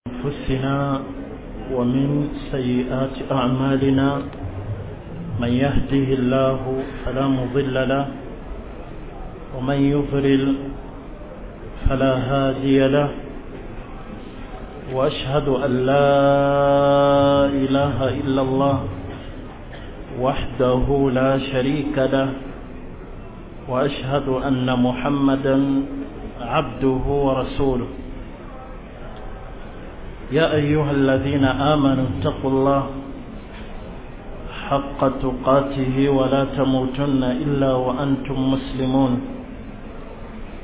أنفسنا ومن سيئات أعمالنا من يهده الله فلا مضل له ومن يضلل فلا هادي له وأشهد أن لا إله إلا الله وحده لا شريك له وأشهد أن محمدا عبده ورسوله. يا أيها الذين آمنوا اتقوا الله حق تقاته ولا تموتن إلا وأنتم مسلمون.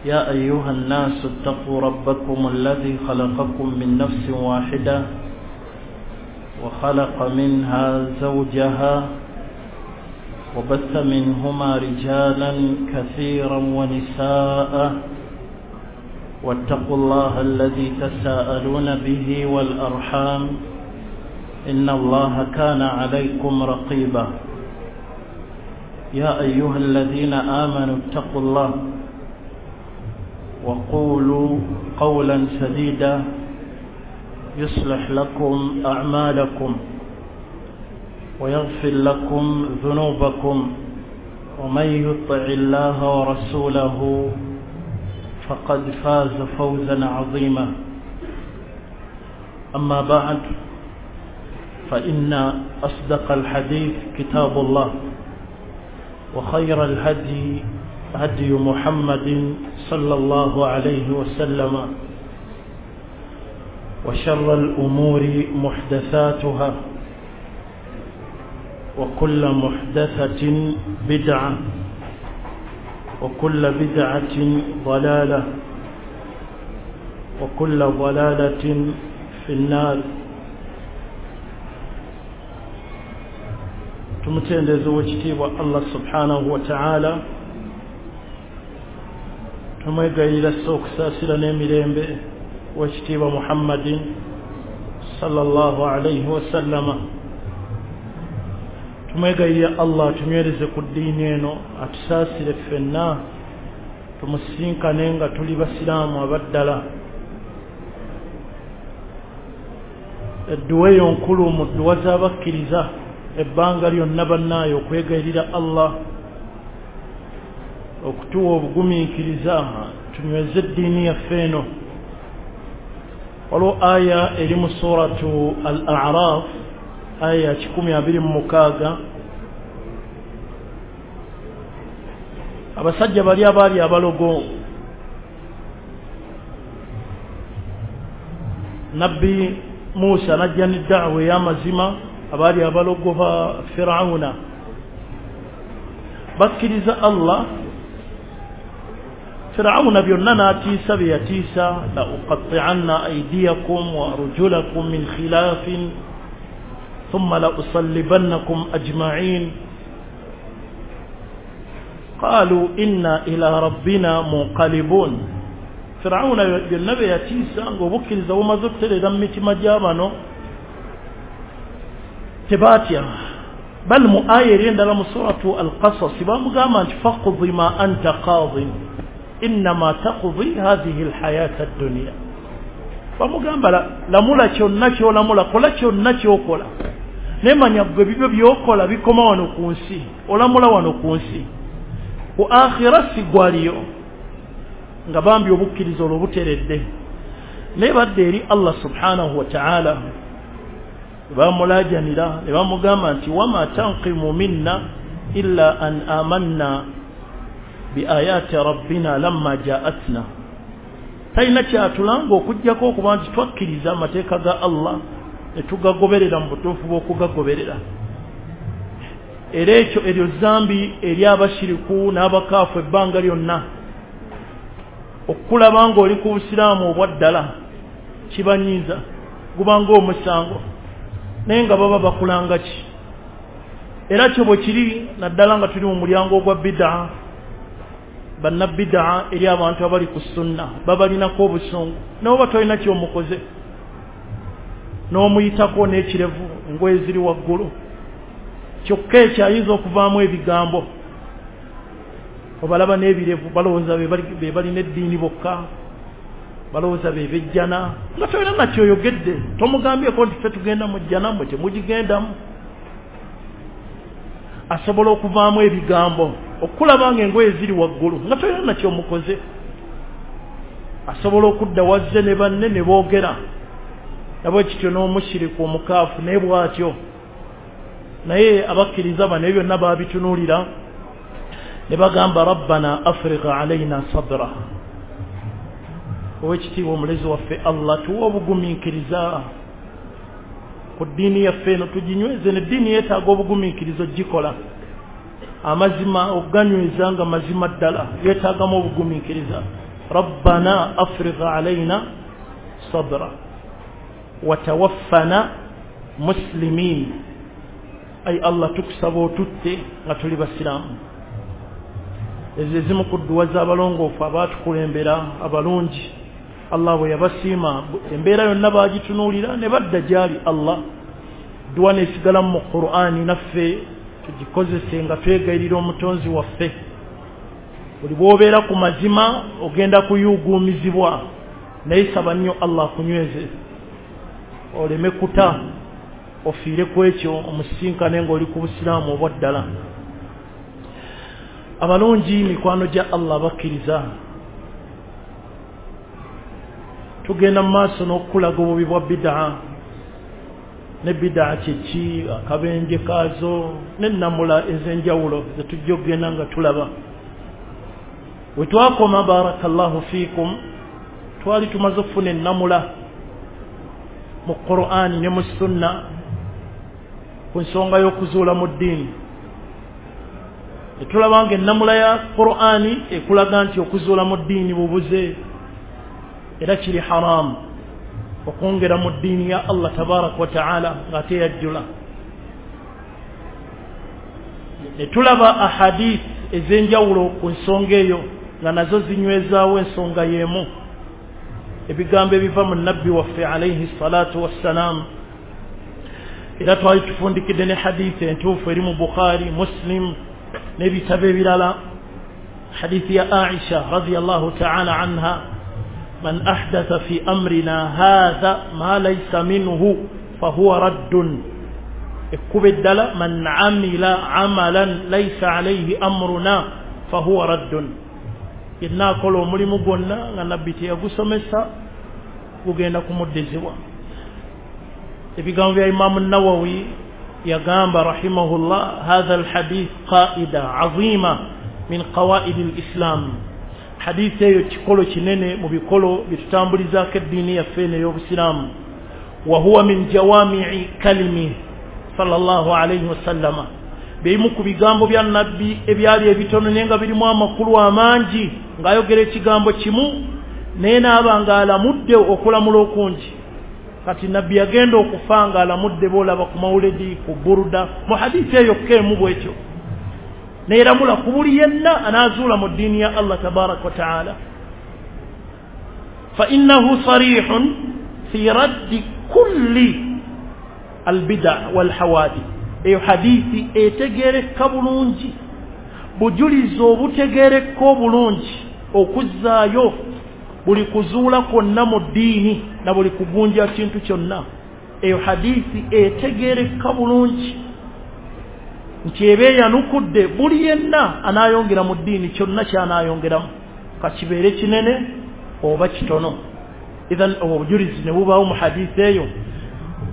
يا أيها الناس اتقوا ربكم الذي خلقكم من نفس واحدة وخلق منها زوجها وبث منهما رجالا كثيرا ونساء واتقوا الله الذي تساءلون به والأرحام إن الله كان عليكم رقيبا. يا أيها الذين آمنوا اتقوا الله وقولوا قولا سديدا يصلح لكم أعمالكم ويغفر لكم ذنوبكم ومن يطع الله ورسوله فقد فاز فوزا عظيما. أما بعد، فإن أصدق الحديث كتاب الله وخير الهدي هدي محمد صلى الله عليه وسلم وشر الأمور محدثاتها وكل محدثة بدعة وكل بدعة ضلالة وكل ضلالة في النار. Tumutendereza owekitiibwa Allah subhanahu wa ta'ala, tumwegayirira sso okusaasira n'emirembe owekitiibwa Muhammadin sallallahu alayhi wasallama. Tumwegayirira Allah atunywereze ku ddiini eno, atusaasire ffenna tumusinkane nga tuli basiraamu abaddala. Edduwa eyo nkulu mu dduwa z'abakkiriza ebbanga lyonna bannaayo okwegayirira Allah okutuwa obugumiikiriza tunyweze eddiini yaffe eno. Waliwo aya eri mu suratu Al-A'raf, aya 126. Abasajja bali abaali abalogo, Nabbi Musa najja ne da'wa ey'amazima, abaali abalogo ba Fir'auna bakkiriza Allah. Fir'auna byonna n'atiisa bye yatiisa, la uqatti'anna aydiyakum wa arjulakum min khilafin thumma la usallibannakum ajma'in qalu inna ila rabbina munqalibun. Fir'auna byonna bye yatiisa ng'obukkiriza bumaze okutereera mu mitima gy'abano tebaatya. Bal mu aya eri endala mu suratu Al-Qasas bamugamba nti faqdi ma anta qadin innama taqdi hadhihi alhayata ad-dunya. Bamugamba lamula kyonna ky'olamula, kola kyonna ky'okola, naye manya gwe bibyo by'okola bikoma wano ku nsi, olamula wano ku nsi, ku akhira sigwaliyo. Nga bambi obukkiriza olwo buteredde, naye badde eri Allah subhanahu wa ta'ala bamulajanira ne bamugamba nti wama tanqimu minna illa an amanna bi ayati rabbina lamma ja'atna. Talina kyatulanga okuggyako okuba nti twakkiriza amateeka ga Allah ne tugagoberera mu butuufu bw'okugagoberera. Era ekyo eryo zambi eri abashiriku n'abakaafu ebbanga lyonna. Okulaba ng'oli ku busiraamu obwaddala kibanyiiza, gubanga omusango, naye nga baba bakulanga ki? Era kyo bwe kiri naddala nga tuli mu mulyango ogwa bid'a. Bannabid'a eri abantu abali ku sunna babalinako obusungu, naye oba tolina ky'omukoze n'omuyitako n'ekirevu, engoye ziri waggulu, kyokka ekyo ayinza okuvaamu ebigambo. Obalaba n'ebirevu balowooza be balina eddiini bokka, Balowooza be bejjana nga tolina nakyoyogedde, tomugambyeko nti ffe tugenda mu jjana, mmwe temugigendamu. Asobola okuvaamu ebigambo okulaba nga engoye ziri waggulu nga tolina nakyomukoze. Asobola okudda wazze ne banne ne boogera nabwe kityo n'omushiriku omukaafu naye bw'atyo. Naye abakkiriza bano ebyo byonna baabitunuulira ne bagamba rabbana afrigh alaina sabra, owekitiibwa omulezi waffe Allah tuwe obugumiikiriza ku ddiini yaffe eno tuginyweze. Neddiini yeetaaga obugumiikiriza ogikola amazima okuganyweza nga mazima ddala yeetaagamu obugumiikiriza. Rabbana afrigh alaina sabra watawaffana muslimin, ai Allah tukusaba otutte nga tuli basiraamu. Ezo ezimu ku dduwa z'abalongoofu abaatukulembera abalungi, Allah bwe yabasiima embeera yonna baagitunuulira ne badda gy'ali Allah. Dduwa n'esigala mu Qur'ani naffe tugikozese nga twegayirira omutonzi waffe. Buli bw'obeera ku mazima ogenda kuyuuguumizibwa, naye saba nnyo Allah akunyweze oleme kuta ofiire ku ekyo omusisinkane ng'oli ku busiraamu obwa ddala. Abalungi mikwano gya Allah bakkiriza, tugenda mu maaso n'okukulaga obubi bwa bid'a ne bid'a kyeki, akabenje kaazo n'ennamula ez'enjawulo ze tujja okugenda nga tulaba. We twakoma barakallahu fiikum, twali tumaze okufuna ennamula mu Qur'ani ne mu sunna ku nsonga y'okuzuula mu ddiini. Netulaba nga ennamula ya Qur'ani ekulaga nti okuzuula mu ddiini bubuze era kiri haramu okwongera mu ddiini ya Allah tabaraka wa taala ng'ate yajjula. Netulaba ahadith ez'enjawulo ku nsonga eyo nga nazo zinywezaawo ensonga y'emu, ebigambo ebiva mu nabbi waffe alayhi salatu wassalam. Era twali tufundikidde ne hadithi entuufu eri mu Bukhari, Muslim n'ebitabo ebirala, hadithi ya Aisha radiyallahu ta'ala anha, man ahdatha fi amrina hadha ma laysa minhu fahuwa raddun. Ekkuba eddala, man amila amalan laysa alayhi amruna fahuwa raddun. Yenna akola omulimu gwonna nga nabbi teyagusomesa gugenda kumuddizibwa. Ebigambo bya Imamu Nawawi yagamba rahimahullah, hadha alhadith qaida azima min qawaid alislam. Hadithi eyo kikolo kinene mu bikolo byetutambulizaako eddiini yaffe eno ey'obusiraamu. Wa huwa min jawami'i kalimi sallallahu alayhi wasallama, bimu ku bigambo bya nabbi ebyali ebitono naye nga birimu amakulu amangi, ng'ayogera ekigambo kimu naye n'aba ng'alamudde okulamula okungi. Kati nabbi yagenda okufa ng'alamudde boolaba ku mawuledi, ku buruda, mu hadithi eyo emu bwetyo neeramula ku buli yenna anaazuula mu ddiini ya Allah tabaraka wa taala. Fa innahu sarihun fi raddi kulli albida walhawadith. Eyo hadithi etegereka bulungi, bujulizi obutegereka obulungi okuzzaayo buli kuzuula kwonna mu ddiini na buli kugunja kintu kyonna. Eyo hadithi etegereka bulungi nti eba eyanukudde buli yenna anaayongera mu ddiini kyonna ky'anaayongeramu, kakibeere kinene oba kitono. Idhan obujulizi ne bubaawo mu hadithi eyo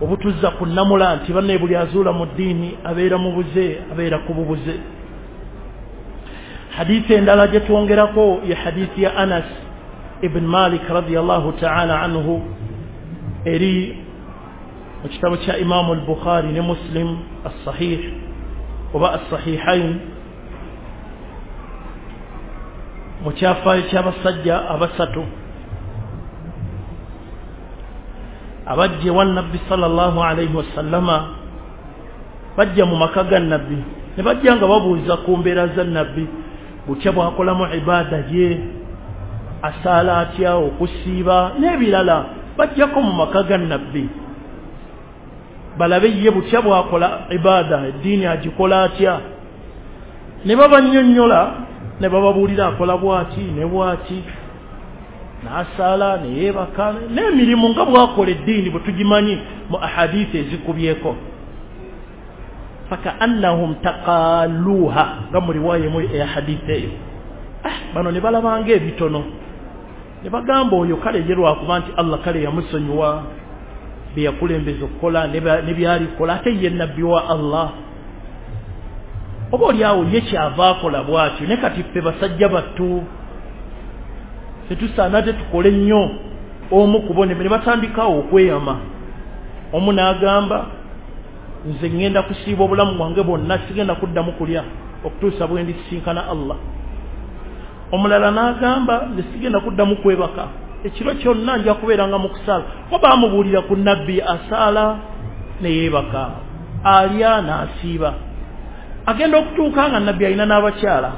obutuzza ku nnamula nti banne buli azuula mu ddiini abeera mu buze, abeera ku bubuze. Hadithi endala gye twongerako ye hadithi ya Anas ibn Malik radiyallahu ta'ala anhu, eri mu kitabo kya Imamu al-Bukhari ne Muslim as-Sahih oba as-Sahihain, mu kyafaayo ky'abasajja abasatu abajja ewa nabbi sallallahu alayhi wasallama. Bajja mu maka ga nabbi ne bajja nga babuuza ku mbeera za nabbi, butya bw'akolamu ibaada ye, asaala atya, okusiiba n'ebirala. Bajjako mu maka ga nabbi balabe ye butya bw'akola ibaada, eddiini agikola atya. Ne babannyonnyola ne bababuulira akola bw'ati ne bw'ati. N'asaala neyeebaka n'emirimu nga bwakola eddiini bwe tugimanyi mu ahadithi ezikubyeko. Fakaannahum taqaluha, nga mu riwaya emu eya hadithi eyo. Bano ne balabanga ebitono ne bagamba oyo kale ye lwakuba nti Allah kale yamusonyiwa bye yakulembeza okukola ne byalikola, ate ye nabbi wa Allah, oba oliawo ye kyava akola bw'atyo. Ne kati ffe basajja battu tetusaana tetukole nnyo. Omu ku bo ne batandikawo okweyama. Omu n'agamba nze ŋŋenda kusiiba obulamu bwange bwonna, sigenda kuddamu kulya okutuusa bwe ndisisinkana Allah. Omulala n'agamba nze sigenda kuddamu kwebaka, ekiro kyonna nja kubeeranga mu kusaala. Ko baamubuulira ku nabbi asaala ne yeebaka, alya n'asiiba. Agenda okutuuka nga nabbi alina n'abakyala,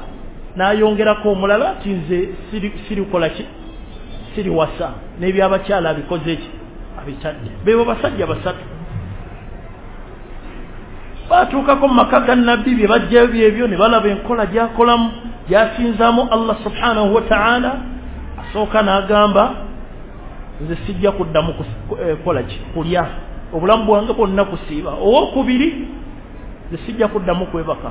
n'ayongerako omulala nti nze sirikola ki, siriwasa, n'ebyabakyala abikoze ki, abitadde. Beebo basajja basatu batuukako mu maka ga nabbi, bye bajjayo byebyo, ne balaba enkola gy'akolamu gy'asinzaamu Allah subhanahu wa ta'ala. Asooka n'agamba nze sijja kuddamu kukola ki, kulya, obulamu bwange bwonna kusiiba. Owokubiri nze sijja kuddamu kwebaka.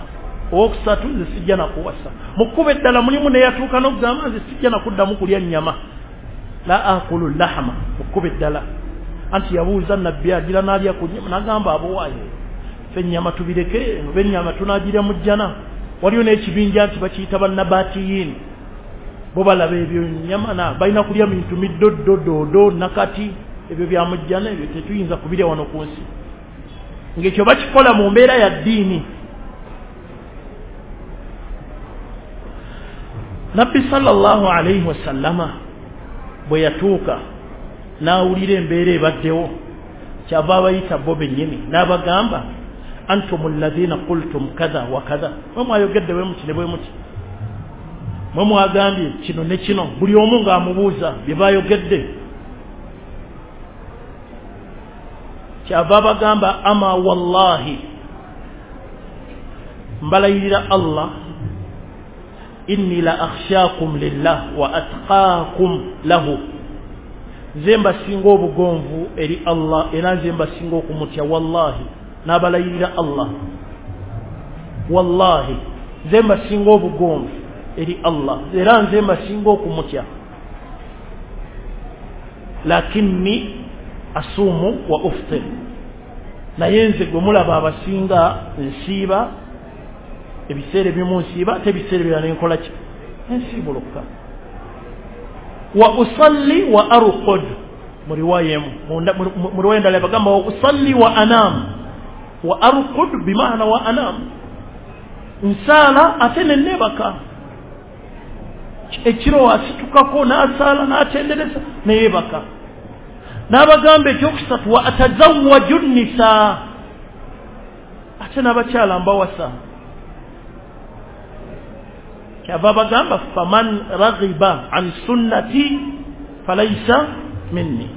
Owokusatu nze sijja nakuwasa. Mu kkubo eddala mulimu neyatuuka n'okugamba nze sijja nakuddamu kulya nnyama, la akulu lahama. Mu kkubo eddala anti yabuuza nabbi agira n'alya ku nnyama, n'agamba abowaaye ffe ennyama tubireke, oba ennyama tunaagirya mu jjana. Waliyo n'ekibinja nti bakiyita bannabatiyiini, bo balaba ebyo nnyama na balina kulya bintu middoddo doodo nakati, ebyo bya mu jjana, ebyo tetuyinza kubirya wano ku nsi. Ng'ekyo bakikola mu mbeera ya ddiini. Nabbi sallallahu alayhi wasallama bwe yatuuka n'awulira embeera ebaddewo, kyava abayita bo bennyini n'abagamba antum alladhina qultum kadha wa kadha, mwe mwayogedde bwe muti ne bwe muti, mwe mwagambye kino ne kino. Buli omu ng'amubuuza bye bayogedde. Kyava abagamba ama wallahi, mbalayirira Allah, inni la akhshakum lillah wa atqaakum lahu, nze mbasinga obugonvu eri Allah era nze mbasinga okumutya. Wallahi, n'abalayirira Allah, wallahi nze mbasinga obugonvu eri Allah era nze mbasinga okumutya. Lakinni asuumu wa uftir, naye nze gwe mulaba abasinga nsiiba, ebiseera ebimu nsiiba ate ebiseera ebirala nenkola ki, nsiibuluka. Wa usalli wa arqud, mu riwaya emu, mu riwaya endala bagamba wa usalli wa anam, wa arqud bimaana wa anam, nsaala ate nenebaka. Ekiro asitukako n'asaala n'atendereza neyebaka. N'abagamba ekyokusatu wa atazawwaju nnisaa, ate n'abakyala mbawasa. Kyava bagamba faman raghiba an sunnati falaisa minni,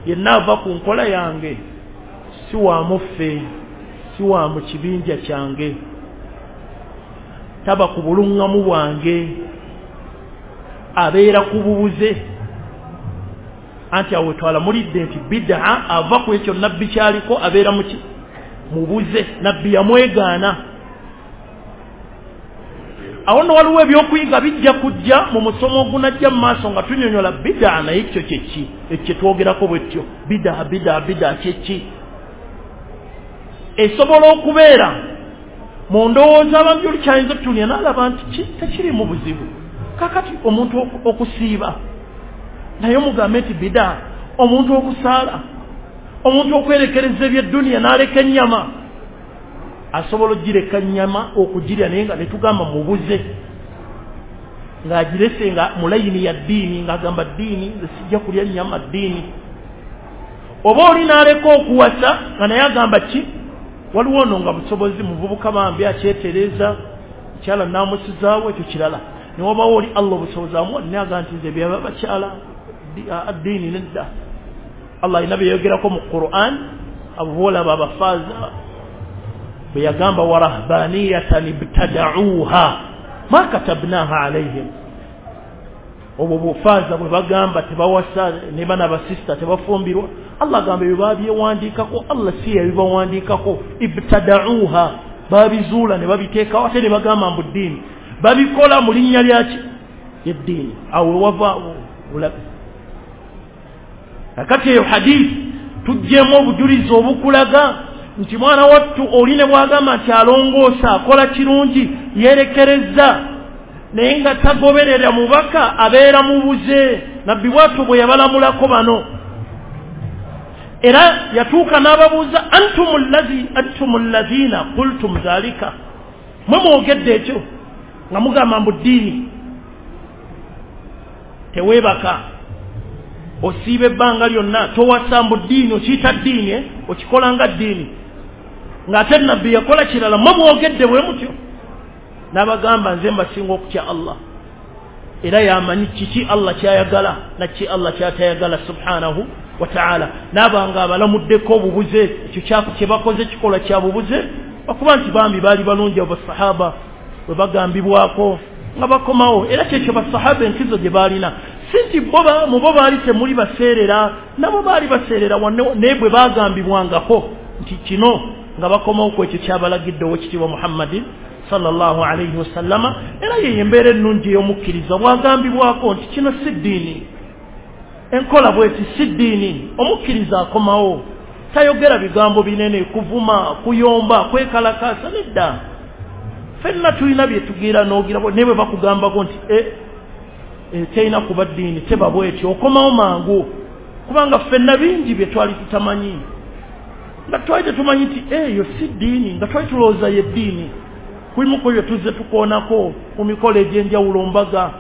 yenna ava ku nkola yange si wa muffe, si wa mu kibinja kyange, taba ku buluŋŋamu bwange, abeera ku bubuze. Anti awo twala mulidde nti bid'a ava ku ekyo nabbi kyaliko abeera mubuze, nabbi yamwegaana. Awo nno waliwo ebyokuyiga bijja kujja mu musomo ogunajja mu maaso nga tunyonyola bid'a, naye ekyo kyeki ekyo kyetwogerako bwetyo bid'a bid'a bid'a kyeki. Esobola okubeera mu ndowooza abantu oli kyayinza otutuulira n'alaba nti tekiri mu buzibu. Kakati omuntu okusiiba naye omugambe nti bid'a, omuntu okusaala, omuntu okwerekereza ebyedduniya n'aleka ennyama, asobola ogireka nnyama okugirya naye nga netugamba mubuze, ng'agirese nga mu layini ya ddiini, ng'agamba ddiini nze sijja kulya nnyama ddiini. Oba oli n'aleka okuwasa nga naye agamba ki, waliwo ono nga busobozi muvubuka bambi akyetereeza, mukyala naamusizaawo ekyo kirala. Ne wabawo oli Allah obusobozi amuwa naye agamba nti nze byaba bakyala ddiini nedda. Allah alina bye yayogerako mu Qur'an, abo boolaba abafaaza bwe yagamba wa rahbaniyatan ibtada'uha ma katabnaha alayhim. Obwo bufaaza bwe bagamba tebawasa ne bana basista tebafumbirwa, Allah agamba ebyo babyewandiikako, Allah si yabibawandiikako. Ibtada'uha, babizuula ne babiteekawo ate ne bagamba mbu ddiini, babikola mu linnya lyaki eddiini. Awo wava bulabe. Kakati eyo hadithi tuggyemu obujulizi obukulaga nti mwana wattu oli ne bw'agamba nti alongoosa akola kirungi yeerekereza, naye nga tagoberera mubaka abeera mubuze. Nabbi bwattu bwe yabalamulako bano, era yatuuka n'ababuuza antum allazina qultum dhalika, mwe mwogedde ekyo nga mugamba mbu ddiini teweebaka, osiiba ebbanga lyonna, towasa mbu ddiini, okiyita ddiini, okikola nga ddiini, ng'ate nabbi yakola kirala, mwe mwogedde bwe mutyo. N'abagamba nze mbasinga okutya Allah, era yamanyi kiki Allah kyayagala na ki Allah kyatayagala subhanahu wa ta'ala. N'abanga abalamuddeko obubuze, ekyo kye bakoze kikola kya bubuze, okuba nti bambi baali balungi abo basahaba bwe bagambibwako nga bakomawo. Era kyekyo basahaba enkizo gye baalina, si nti mu bo baali temuli baseerera, nabo baali baseerera, naye bwe bagambibwangako nti kino nga bakomawo ku ekyo kyabalagidde owekitiibwa Muhammadin sallallahu alayhi wasallama. Era ye embeera ennungi ey'omukkiriza bw'agambibwako nti kino si ddiini, enkola bweti si ddiini, omukkiriza akomawo, tayogera bigambo binene, kuvuma, kuyomba, kwekalakaasa, nedda. Ffenna tulina bye tugira n'ogira, naye bwe bakugambako nti terina kuba ddiini, teba bwetyo, okomawo mangu, kubanga ffenna bingi bye twali tutamanyi, nga twali tetumanyi nti eyo si ddiini, nga twali tulowooza ye ddiini. Kulimu ku ebyo tuzze tukoonako ku mikolo egy'enjawulo, mbaga,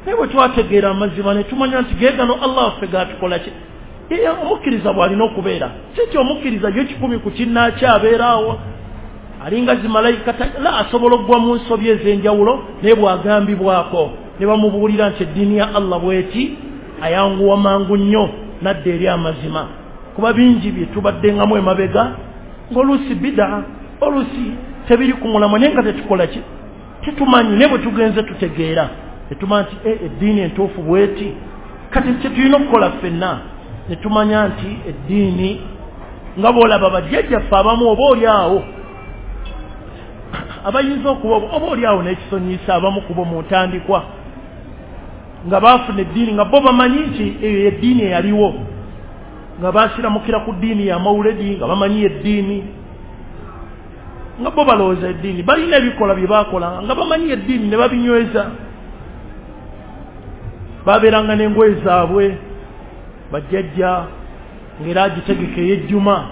naye bwe twategeera amazima ne tumanya nti ge gano Allah waffe gaatukola ki. Omukkiriza bw'alina okubeera, si nti omukkiriza ye 10 ku kinnaakyo abeeraawo alinga zimalayika, la, asobola okugwa mu nsobi ez'enjawulo, naye bw'agambibwako ne bamubuulira nti eddiini ya Allah bw'eti, ayanguwa mangu nnyo n'adda eri amazima. Kuba bingi bye tubaddengamu emabega ng'oluusi bidaa, oluusi tebiri ku mulamwa, naye nga tetukola ki, tetumanyi. Naye bwe tugenze tutegeera ne tumanya nti eddiini entuufu bw'eti. Kati kye tulina okukola ffenna ne tumanya nti eddiini nga bw'olaba bajjajjaffe abamu oba oli awo abayinza okuba oba oli awo n'ekisonyiisa abamu kubo mu ntandikwa nga baafuna eddiini nga bo bamanyi nti eyo eddiini eyaliwo, nga baasiramukira ku ddiini ya mawuledi, nga bamanyi eddiini, nga bo balowooza eddiini, balina ebikola bye baakolanga nga bamanyi eddiini ne babinyweza. Babeeranga n'engoye zaabwe bajjajja, ng'era agitegeka ey'ejjuma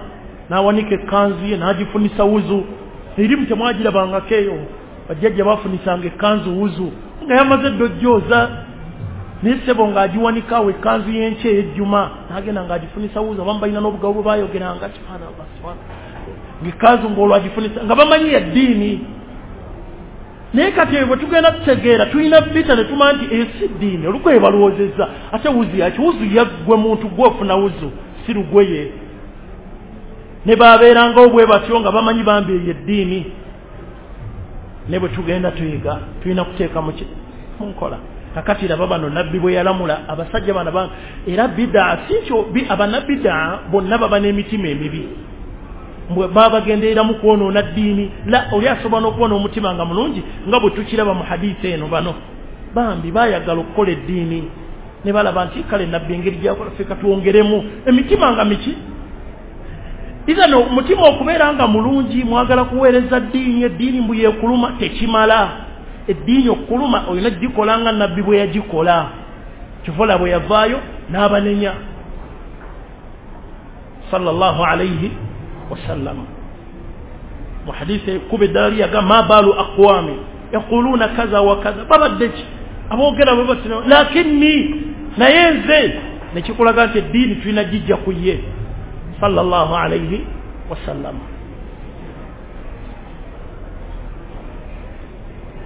n'awanika ekkanzu ye n'agifunisa wuzu. Erimu temwagirabangako eyo, bajjajja bafunisanga ekkanzu wuzu nga yamaze edda ojjooza, naye ssebo ng'agiwanika awo ekkanzu y'enkya ey'ejjuma n'agenda ng'agifunisa wuzu. Abamu balina n'obugabo bwe baayogeranga subhanallah subhanallah, ng'ekkanzu ng'olwo agifunisa nga bamanyi eddiini. Naye kati ebyo bwe tugenda tutegeera tulina bita ne tumanya nti eyo si ddiini, olugoye balowoozezza. Ate wuzu yaki? Wuzu yaggwe muntu gwe ofuna wuzu, si lugoye. Ne babeerangawo bwe batyo nga bamanyi bambi eyo eddiini. Ne bwe tugenda tuyiga tulina kuteeka mu nkola. Kakati laba bano nabbi bwe yalamula abasajja bano, era bidaa si nti abannabidaa bonna baba n'emitima emibi, baba bagendereramu kwonoona ddiini. La, oli asobola n'okuba n'omutima nga mulungi, nga bwe tukiraba mu hadiisi eno. Bano bambi baayagala okukola eddiini ne balaba nti kale nabbi engeri gy'akola ffe katwongeremu emitima nga miki. Ira omutima okubeera nga mulungi, mwagala kuweereza ddiini, eddiini mbu yeekuluma, tekimala. Eddiini okukuluma olina gikola nga nabbi bwe yagikola. Kivola bwe yavaayo n'abanenya sallallahu alayhi wasallam. Mu hadithi kuba eddala lyaga ma baalu aqwami yaquluuna kaza wa kaza, babadde ki aboogera bwe batyo, lakinni, naye nze nekikulaga nti eddiini tulina gijja ku ye sallallahu alayhi wasallam.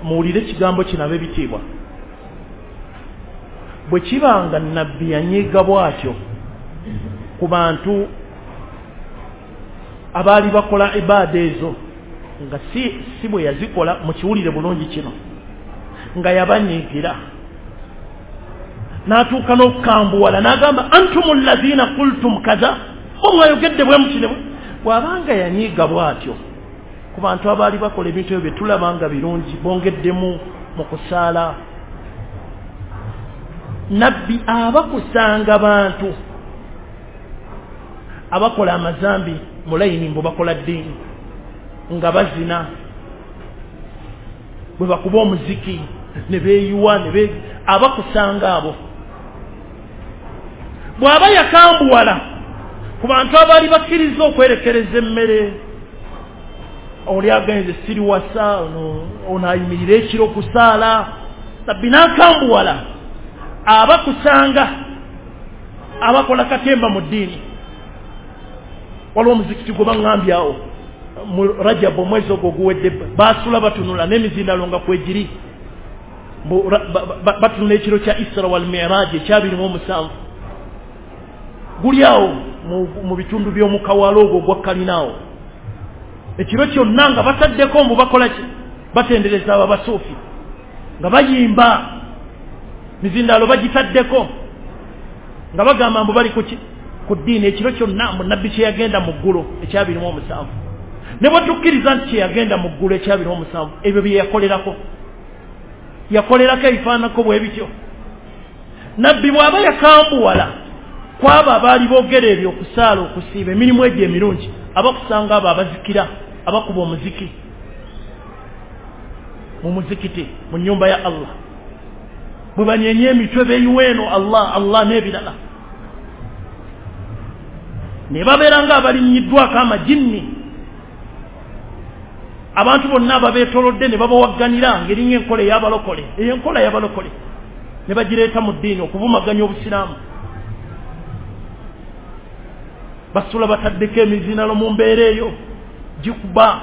Muwulire ekigambo kino ab'ebitiibwa, bwe kibanga nabbi yanyiiga bw'atyo ku bantu abaali bakola ibaada ezo nga si bwe yazikola, mukiwulire bulungi kino, nga yabanyiigira. N'atuuka n'okukambuwala n'agamba antum alladhina qultum kaza, omwayogedde bwe muti. Bw'abanga yanyiiga bw'atyo ku bantu abaali bakola ebintu ebyo bye tulaba nga birungi, bongeddemu mu kusaala. Nabbi abakusanga bantu abakola amazambi mu layini mbu bakola ddiini, nga bazina, bwe bakuba omuziki ne beeyiwa, abakusanga abo. Bw'aba yakambuwala ku bantu abaali bakkiriza okwerekereza emmere, oli agenze siriwasa, ono ayimirira ekiro kusaala, nabbi n'akambuwala. Abakusanga abakola katemba mu ddiini. Waliwo omuzikiti gwe baŋŋambye awo mu Rajab omwezi ogwo oguwedde, baasula batunula n'emizindalo nga kwegiri, batunula ekiro kya Isra wal Miraj ekya 27, guli awo mu bitundu by'omukawalo ogwo ogwa Kalinaawo. Ekiro kyonna nga bataddeko mbu bakola ki? Batendereza abo abasuufi nga bayimba, mizindaalo bagitaddeko nga bagamba mbu bali kuki? Ku ddiini. Ekiro kyonna mu nabbi kye yagenda mu ggulu ekya 27, ne bwe tukkiriza nti kye yagenda mu ggulu ekya 27, ebyo bye yakolerako, yakolerako ebifaananako bwe bityo. Nabbi bw'aba yakambuwala kwabo abaali boogera ebyo, okusaala, okusiiba, emirimu egyo emirungi, abakusanga abo abazikira, abakuba omuziki mu muzikiti mu nnyumba ya Allah, bwe banyeenya emitwe beeyiwa eno Allah Allah n'ebirala, ne babeera nga abalinnyiddwako amajinni, abantu bonna ababeetolodde ne babawagganira ng'eringa enkola ey'abalokole, eyo enkola y'abalokole ne bagireeta mu ddiini okuvumaganya Obusiraamu. Basula bataddeko emizinalo mu mbeera eyo gikuba,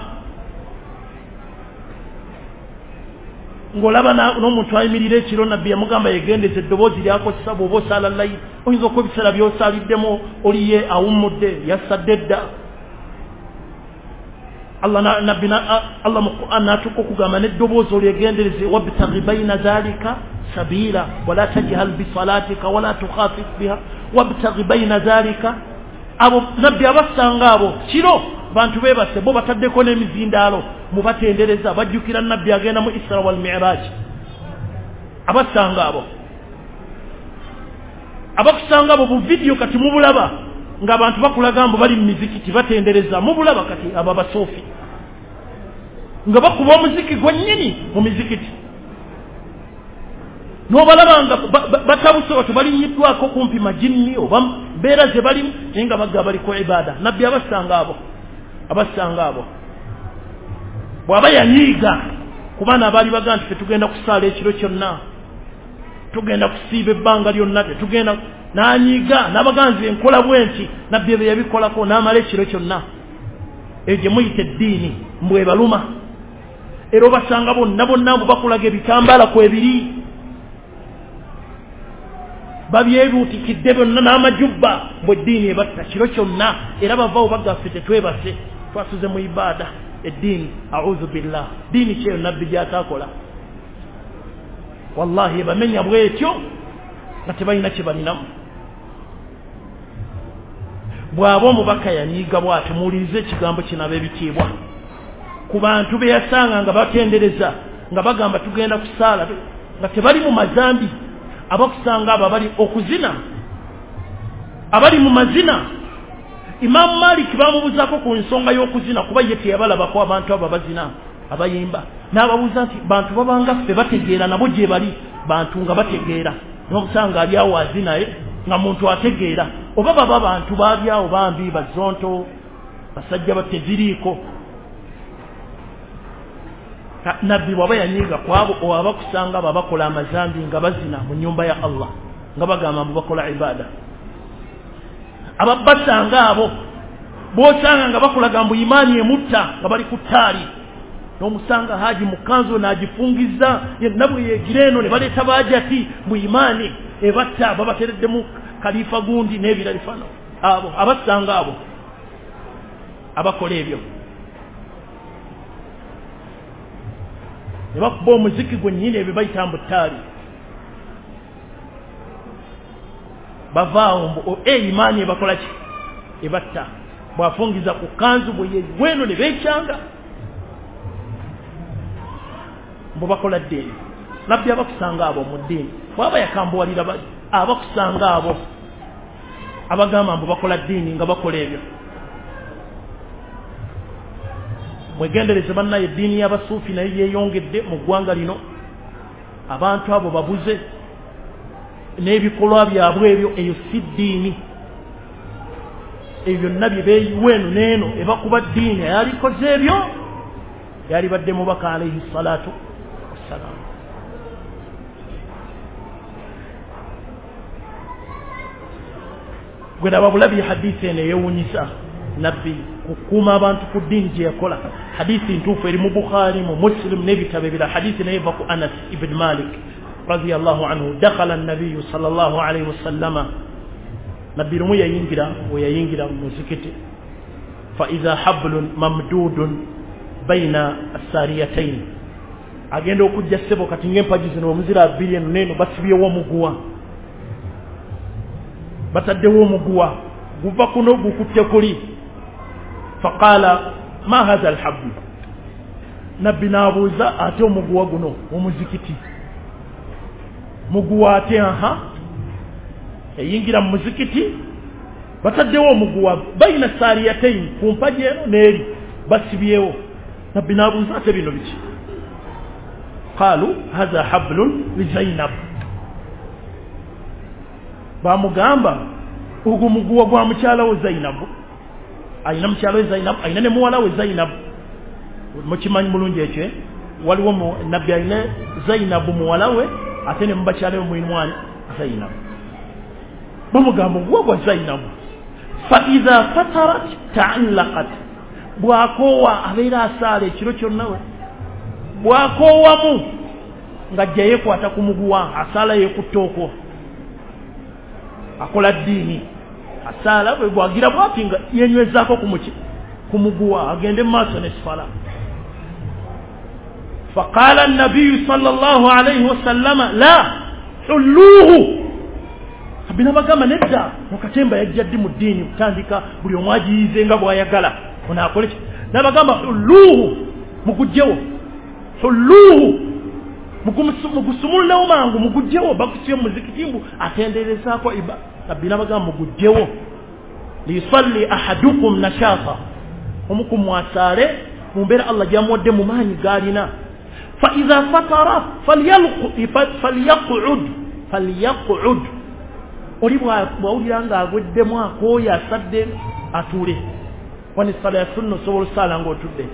ng'olaba n'omuntu ayimirira ekiro. Nabbi yamugamba yegendeza eddoboozi lyakozesa, bw'oba osaala layiri oyinza okuba ebiseera by'osaaliddemu oliye awummudde, yasadde dda. Allah nabbi Allah mu Qur'an n'atuuka okugamba n'eddoboozi olyegendereze, wabtaghi baina dhalika sabila wala tajhal bisalatika wala tukhafit biha wabtaghi baina dhalika. Abo nabbi abasanga abo kiro bantu beebase, bo bataddeko n'emizindaalo mubatendereza, bajjukira nabbi agenda mu Isra wal Miraj. Abasanga abo, abakusanga abo bu vidiyo kati mubulaba ng'abantu bakulaga mbu bali mu mizikiti batendereza, mubulaba kati abo abasuufi nga bakuba omuziki gwennyini mu mizikiti, n'obalaba nga batabuse bato balinnyiddwako kumpi majinni oba mbeera ze balimu, naye nga bagga bali ku ibaada. Nabbi abasanga abo, abasanga abo bw'aba yanyiiga ku baana abaali baga nti fe tugenda kusaala ekiro kyonna, tugenda kusiiba ebbanga lyonna, tetugenda, n'anyiiga n'abaganzi enkola bwe nti nabbi ebyo yabikolako n'amala ekiro kyonna. Eyo gye muyita eddiini mbwebaluma. Era obasanga bonna bonna mbu bakulaga ebitambaala kwebiri, babyebuutikidde byonna n'amajubba, mbwe eddiini ebatta kiro kyonna. Era bavaawo bagaffe tetwebase, twasuze mu ibaada. Eddiini, auzu billah, ddiini kyeyo nabbi gy'ataakola. Wallahi ebamenya bwetyo nga tebalina kye balinamu. Bw'aba omubaka yanyiiga bw'ati, muwulirize ekigambo kino ab'ebitiibwa, ku bantu be yasanga nga batendereza nga bagamba tugenda kusaala nga tebali mu mazambi, abakusanga abo abali okuzina, abali mu mazina. Imaamu Malik bamubuuzaako ku nsonga y'okuzina, kuba ye teyabalabako abantu abo abazina abayimba, n'ababuuza nti bantu babanga ffe bategeera, nabo gye bali bantu nga bategeera, n'omusanga ali awo azinaye nga muntu ategeera, oba baba bantu baali awo bambi bazonto basajja bateziriiko. Nabbi bw'aba yanyiiga ku abo abakusanga abo abakola amazambi nga bazina mu nnyumba ya Allah nga bagamba mbu bakola ibaada, ababasanga abo bw'osanga nga bakulaga mbu imaani emutta nga bali ku ttaali, n'omusanga haji mu kanzu n'agifungiza yenna bwe yeegira eno, ne baleeta baajati mbu imaani ebatta, babatereddemu kalifa gundi n'ebirala bifano. Abo abasanga abo abakola ebyo ne bakuba omuziki gwennyini ebyo bayita mbu ttaali. Bavaawo mbu imaani ebakola ki? Ebatta. Bwafungiza ku kanzu bwe yeweno ne beekyanga mbu bakola ddiini. Nabbi abakusanga abo mu ddiini bwaba yakambuwalira abakusanga abo abagamba mbu bakola ddiini nga bakola ebyo. Mwegendereze bannaye, eddiini y'abasuufi naye yeeyongedde mu ggwanga lino. Abantu abo babuze n'ebikolwa byabwe ebyo, eyo si ddiini. Ebyo byonna bye beeyiwa eno n'eno ebakuba ddiini. Eyalikoze ebyo yalibadde mubaka alaihi salatu wassalam. Gwe laba bulabi hadithi eno eyewuunyisa nabbi kukuuma abantu ku ddiini gye yakola. Hadithi ntuufu eri mu Bukhari, mu Muslim n'ebitabo ebirala. Hadithi naye eva ku Anas ibn Malik radiyallahu anhu. Dakhala an-nabiyyu sallallahu alayhi wasallama, nabbi lumu yayingira we yayingira mu muzikiti, fa idha hablun mamdudun baina as-sariyatayn, agenda okujja ssebo kati ng'empagi zino omuzira bbiri eno n'eno basibyewo omuguwa, bataddewo omuguwa guva kuno gukutte kuli. Faqala ma hadha alhabl, nabbi n'abuuza ate omuguwa guno omuzikiti muguwa ate aha. Eyingira mu muzikiti bataddewo omuguwa baina sariyatayn, ku mpagi eno n'eri basibyewo. Nabbi n'abuuza ate bino biki? Qalu hadha hablun li Zainab, bamugamba ogwo muguwa gwa mukyala we Zainab. Alina mukyala we Zainab, alina ne muwala we Zainab. Mukimanyi bulungi ekyo, waliwo nabbi alina Zainab muwala we, ate ne mubakyala we mulimu ani? Zainab. Bamugamba oguwa gwa Zainab. Fa idha fatarat ta'allaqat, bwakoowa abeera asaala ekiro kyonna, we bwakoowamu ng'ajja yeekwata ku muguwa, asaala yeekutte okwo, akola ddiini. Asaala bwe bwagira bwati nga yenywezaako ku muguwa agende mu maaso n'esfala. Faqala an-nabiyyu sallallahu alayhi wasallama la hulluhu, nabbi n'abagamba nedda, mukatemba yajja ddi mu ddiini kutandika buli omu agiyize nga bw'ayagala ono akole ki? N'abagamba hulluhu, mugugjewo, hulluhu, mugusumululewo mangu, mugugjewo. Bakusibye mu muzikiti mbu atenderezaako iba. Nabbi n'abagamba mugugjewo. Liyusalli ahadukum nashata, omu ku mmwe asaale mu mbeera Allah gy'amuwadde mu maanyi g'alina. Fa idha fatara falyaq'ud, falyaq'ud, oli bw'awulira ng'agweddemu akooye asadde atuule. Wano essala ya sunna osobola osaala ng'otudde,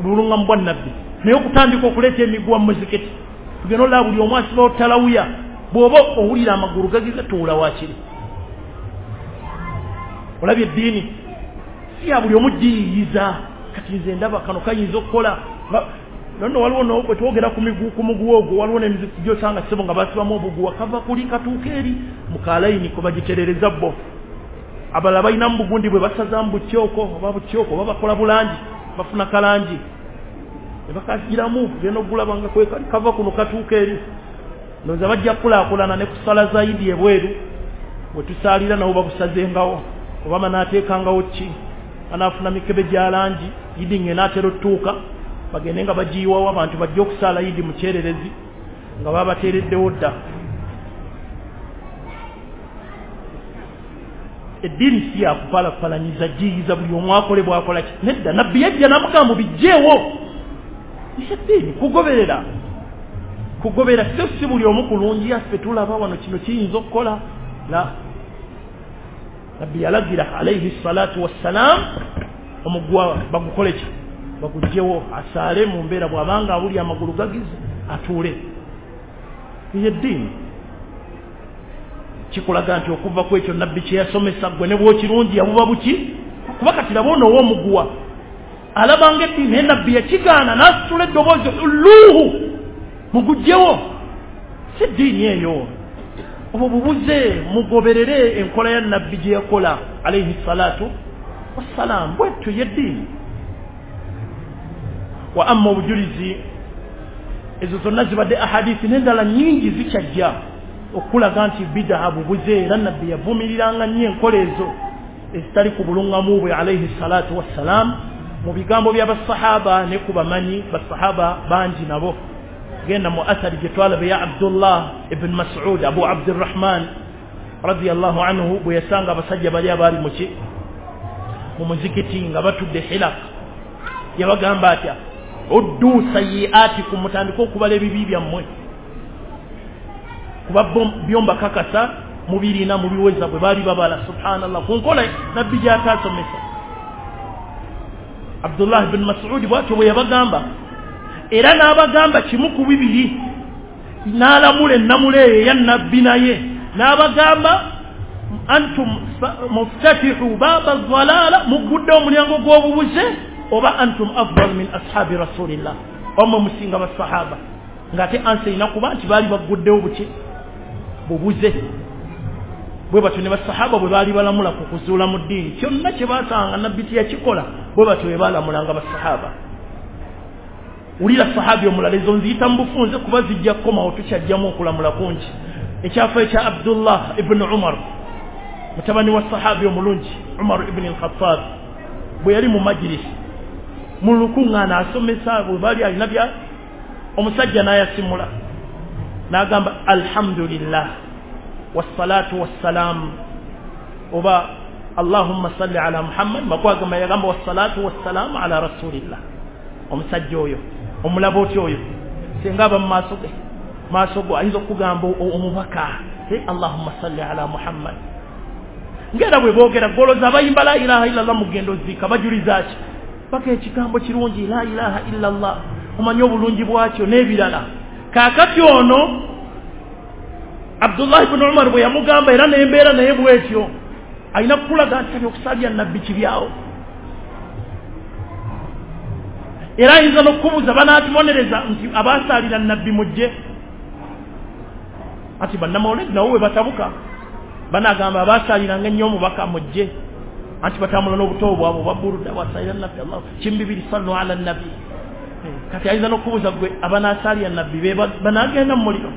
bulungamu bwa nabbi. Naye okutandika okuleeta emiguwa mu muzikiti, tugenda olaba buli omu asibawo talawuya. Bw'oba owulira amagulu gagize tuula waakiri. Olabye eddiini si ya buli omu giyiyiza. Kati nze ndaba kano kayinza okukola nonno. Waliwo bwe twogera ku muguwa ogwo, waliwo n'emizikiti gy'osanga ssebo nga basibamu obuguwa kava kuli katuuka eri mu kalayini kwe bagiterereza bo. Abalala balinamu bugundi bwe basazamu bukyoko oba bukyoko oba bakola bulangi, bafuna kalangi ne bakagiramu, genda okugulaba nga kwekali kava kuno katuuka eri. Ndowooza bajja kukulaakulana ne ku ssala za Idi ebweru we tusaalira nabo babusazengawo, oba banaateekangawo ki, banaafuna mikebe gya langi. Idi ng'enaatera otutuuka bagende nga bagiyiwawo abantu bajje okusaala Idi mu kyererezi nga babateereddewo dda. Eddiini si ya kupalapalanyiza giyiza buli omu akole bw'akola ki. Nedda, nabbi yajja n'amugamba bijjeewo. Eddiini kugoberera, kugoberera so si buli omu kulungi yaffe tulaba wano kino kiyinza okukola. La, nabbi yalagira alaihi salatu wassalam omuguwa bagukole ki? Bagugjewo, asaale mu mbeera bw'abanga awulira amagulu gagize atuule. Eyo eddiini kikulaga nti okuva ku ekyo nabbi kye yasomesa ggwe ne bw'okirungi yabuba buki. Kuba kati laba ono ow'omuguwa alabanga eddiini, naye nabbi yakigaana n'asitula eddoboozi hulluuhu, mugugjewo. Si ddiini eyo. Obwo bubuze, mugoberere enkola ya nabbi gye yakola alaihi salatu wassalam. Bwetyo yeddiini. Wa amma obujulizi, ezo zonna zibadde ahadithi n'endala nyingi zikyajja. Okulaga nti bid'a bubuze, era nabbi yavumiriranga nnyo enkola ezo ezitali ku bulungamu bwe alayhi salatu wassalam mu bigambo by'abasahaba ne ku bamanyi basahaba bangi nabo. Genda mu athari gye twalaba ya Abdullah ibn Mas'ud Abu Abdurrahman radiyallahu anhu bwe yasanga abasajja bali abaali muki mu muzikiti nga batudde hilaq, yabagamba atya uddu sayyi'atikum, mutandike okubala ebibi byammwe kuba byomba kakasa mubirina mubiweza bwe bali babala. Subhanallah, ku nkola nabbi gy'ataasomesa. Abdullah ibn Mas'ud bw'atyo bwe yabagamba, era n'abagamba kimu ku bibiri, n'alamula ennamula eyo eya nabbi naye n'abagamba antum muftatihu baaba dhalala, muggudde omulyango gw'obubuze, oba antum afdal min ashabi rasulillah, omwe musinga basahaba. Ng'ate ansa erina kuba nti baali bagguddewo buki bubuze. Bwe batyo ne basahaba bwe baali balamula ku kuzuula mu ddiini, kyonna kye baasanga nabbi teyakikola, bwe batyo bwe baalamulanga basahaba. Wulira sahabi omulala, ezo nziyita mu bufunze kuba zijja kukomawo, tukyajjamu okulamula kungi. Ekyafaayo kya Abdullah ibn Umar, mutabani wa sahabi omulungi Umar ibn al-Khattab, bwe yali mu majlisi mu lukuŋŋaana asomesa, bwe baali alina bya omusajja n'ayasimula n'agamba alhamdulillah wassalatu wassalam, oba allahumma salli ala Muhammad, makwagamba yagamba wassalatu wassalamu ala rasulillah. Omusajja oyo omulaba otya oyo singa aba mu maaso ge, maaso go ayinza okugamba omubaka allahumma salli ala Muhammad. Ngera bwe boogera goloza abayimba la ilaha illallah mugendo ziika bajuliza ki paka ekigambo kirungi la ilaha illallah, omanye obulungi bwakyo n'ebirala. Kaakati ono Abdullah ibn Umar bwe yamugamba, era n'embeera naye bwetyo alina kukulaga nti okusalya nabbi kibyawo, era ayinza n'okubuuza banaatubonereza nti abasaalira nabbi mujje. Ati bannamawulire nabo bwe batabuka banagamba abasaaliranga ennyo omubaka mujje, anti batambula n'obuto bwabwe obwa buruda bwasalira nabbi Allah kimbibiri sallu ala nabbi. Kati ayinza n'okubuuza gwe abanasaalira nabbi be banagenda mu muliro.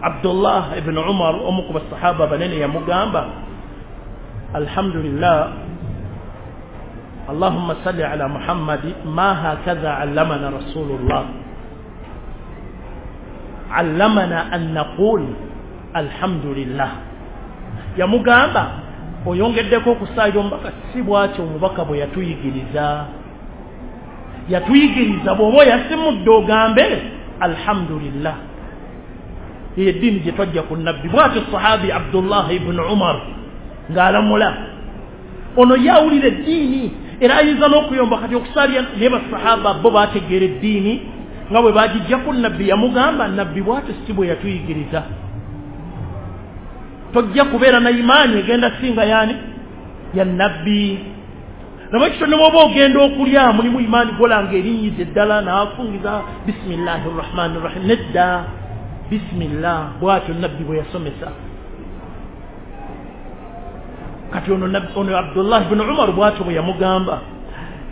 Abdullah ibn Umar omu ku basahaba banene yamugamba alhamdulillah allahumma salli ala Muhammadi ma hakadha allamana rasulullah allamana an naqul alhamdulillah. Yamugamba oyongeddeko okusaalira omubaka, si bw'atyo omubaka bwe yatuyigiriza. Yatuyigiriza bw'oba oyasimudde ogambe alhamdulillah. Eyo eddiini gye twajja ku nabbi. Bw'atyo sahabi Abdullah ibn Umar ng'alamula. Ono yawulira eddiini era ayinza n'okuyomba kati okusaalira naye basahaba bo baategeera eddiini nga bwe bagijja ku nabbi. Yamugamba nabbi bw'atyo si bwe yatuyigiriza, tojja kubeera na imaani egenda singa yani ya nabbi. Nabwekityo ne bw'oba ogenda okulya mulimu imaani golanga erinyiza eddala n'afungiza bisimillahi rrahmani rrahim, nedda bismillah, bw'atyo nabbi bwe yasomesa. Kati ono Abdullah ibn Umar bw'atyo bwe yamugamba.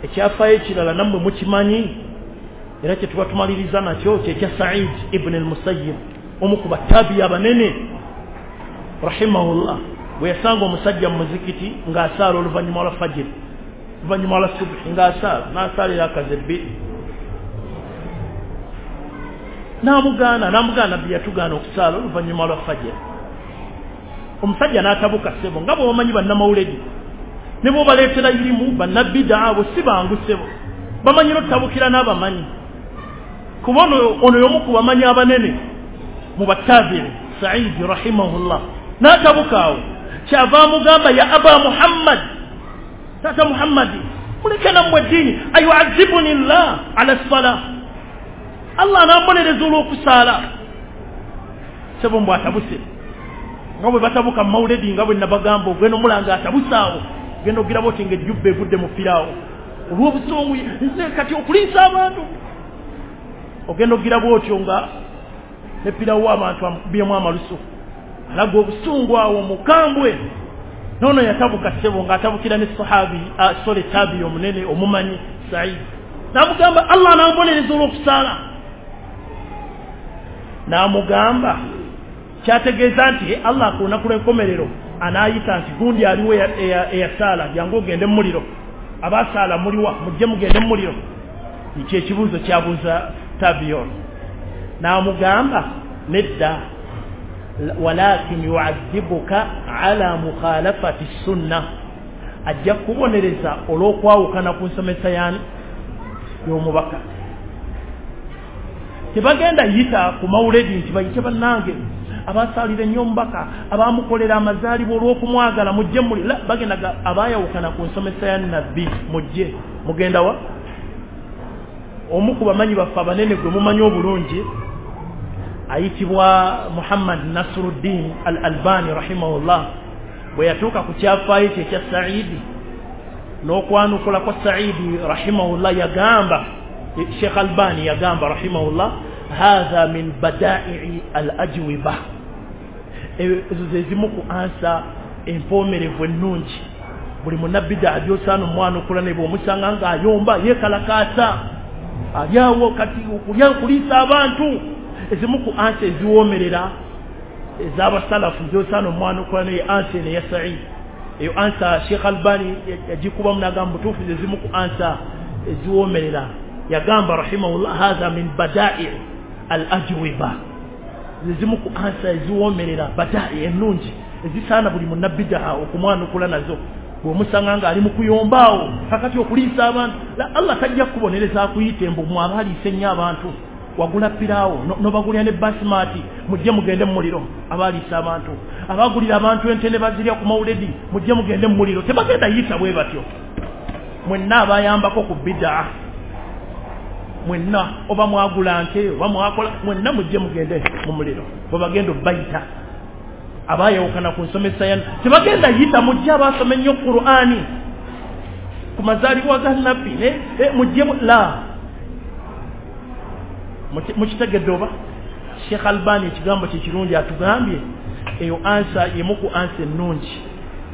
Ekyafaayo ekirala nammwe mukimanyi era kye tuba tumaliriza nakyo kyekya Said ibn al-Musayyib, omu ku battabi abanene rahimahullah, bwe yasanga omusajja mu muzikiti ng'asaala oluvannyuma lwa fajiri, oluvannyuma lwa subuhi ng'asaala, n'asaalira akaze bbiri, n'amugaana nabbi yatugaana okusaala oluvannyuma lwa fajiri. Omusajja n'atabuka ssebo, nga bw'omanyi bannamawuledi ne bw'obaleetera irimu bannabbidaa abo si bangu ssebo, bamanyi n'okutabukira n'abamanyi. Kuba ono y'omu ku bamanyi abanene mu battabi'i Saidi rahimahullah, n'atabuka awo kyava amugamba ya aba Muhammad, taata Muhammadi, muleke nammwe eddiini, ayuazibuni llah ala ssalah, Allah anambonereza olw'okusaala. Ssebo mbw atabuse nga bwe batabuka mu mawuledi nga bwe nabagamba, ogenda omulanga atabuse awo, ogenda ogiraba oti ng'ejjubba evudde mu piraawo olw'obusungu, nze kati okuliisa abantu. Ogenda ogiraba otyo nga ne piraawo abantu amukubyemu amalusu, alaga obusungu awo mukambwe. Noono yatabuka ssebo ng'atabukira ne sahabi sole tabi omunene omumanyi Said, n'amugamba Allah anambonereza olw'okusaala. N'amugamba Kyategeeza nti Allah ku lunaku lw'enkomerero anaayita nti gundi aliwo eyasaala, jangu ogende mu muliro, abasaala muliwa, mujje mugende mu muliro. Ekyo ekibuuzo kyabuuza tabiyon, n'amugamba nedda, walakin yuadhibuka ala mukhalafati sunna, ajja kubonereza olw'okwawukana ku nsomesa yani y'omubaka. Tebagenda yita ku mawuledi nti bayite bannange abasaalira ennyo omubaka, abamukolera amazaalibwa olw'okumwagala, mujje muli. Bagenda abaayawukana ku nsomesa ya nabbi, mujje mugenda wa? Omu ku bamanyi baffe abanene gwe mumanyi obulungi ayitibwa Muhammad Nasruddin Al-Albani rahimahullah, bwe yatuuka ku kyafaayo kye ekya Saidi n'okwanukula kwa Saidi rahimahullah, yagamba Sheikh Albani yagamba rahimahullah, hadha min badai'i al-ajwiba, ezo ze zimu ku ansa empoomerevu ennungi. Buli munnabida agyosaana omwanukula ne bw'omusanga ng'ayomba yeekalakaasa alyawo kati okulya okuliisa abantu, ezimu ku ansa eziwoomerera ez'abasalafu gyosaana omwanukula naye ansa eno eya Saidi. Eyo ansa Sheikh Albani yagikubamu n'agamba butuufu ze zimu ku ansa eziwoomerera. Yagamba rahimahullah, hadha min badai al-ajwiba, zimu ku ansa eziwoomerera, badai ennungi ezisaana buli munnabidaa okumwanukula nazo. Bw'omusanga nga ali mu kuyombaawo kakati okuliisa abantu, Allah tajja kukubonereza akuyite mbu mwaba aliisa ennyo abantu, wagula piraawo n'obagulira ne basimati, mujje mugende mu muliro. Abaaliisa abantu, abagulira abantu ente ne bazirya ku mawuledi, mujje mugende mu muliro. Tebagenda yita bwe batyo. Mwenna abayambako ku bidaa, mwenna oba mwagula nte oba mwakola, mwenna mujje mugende mu muliro. Bwe bagenda obayita abayawukana ku nsomesa ya tebagenda yita mujje abasoma ennyo Qur'ani ku mazaalibwa ga nabbi, mujje la. Mukitegedde oba? Sheikh Albani ekigambo kye kirungi atugambye, eyo ansa yemu ku ansa ennungi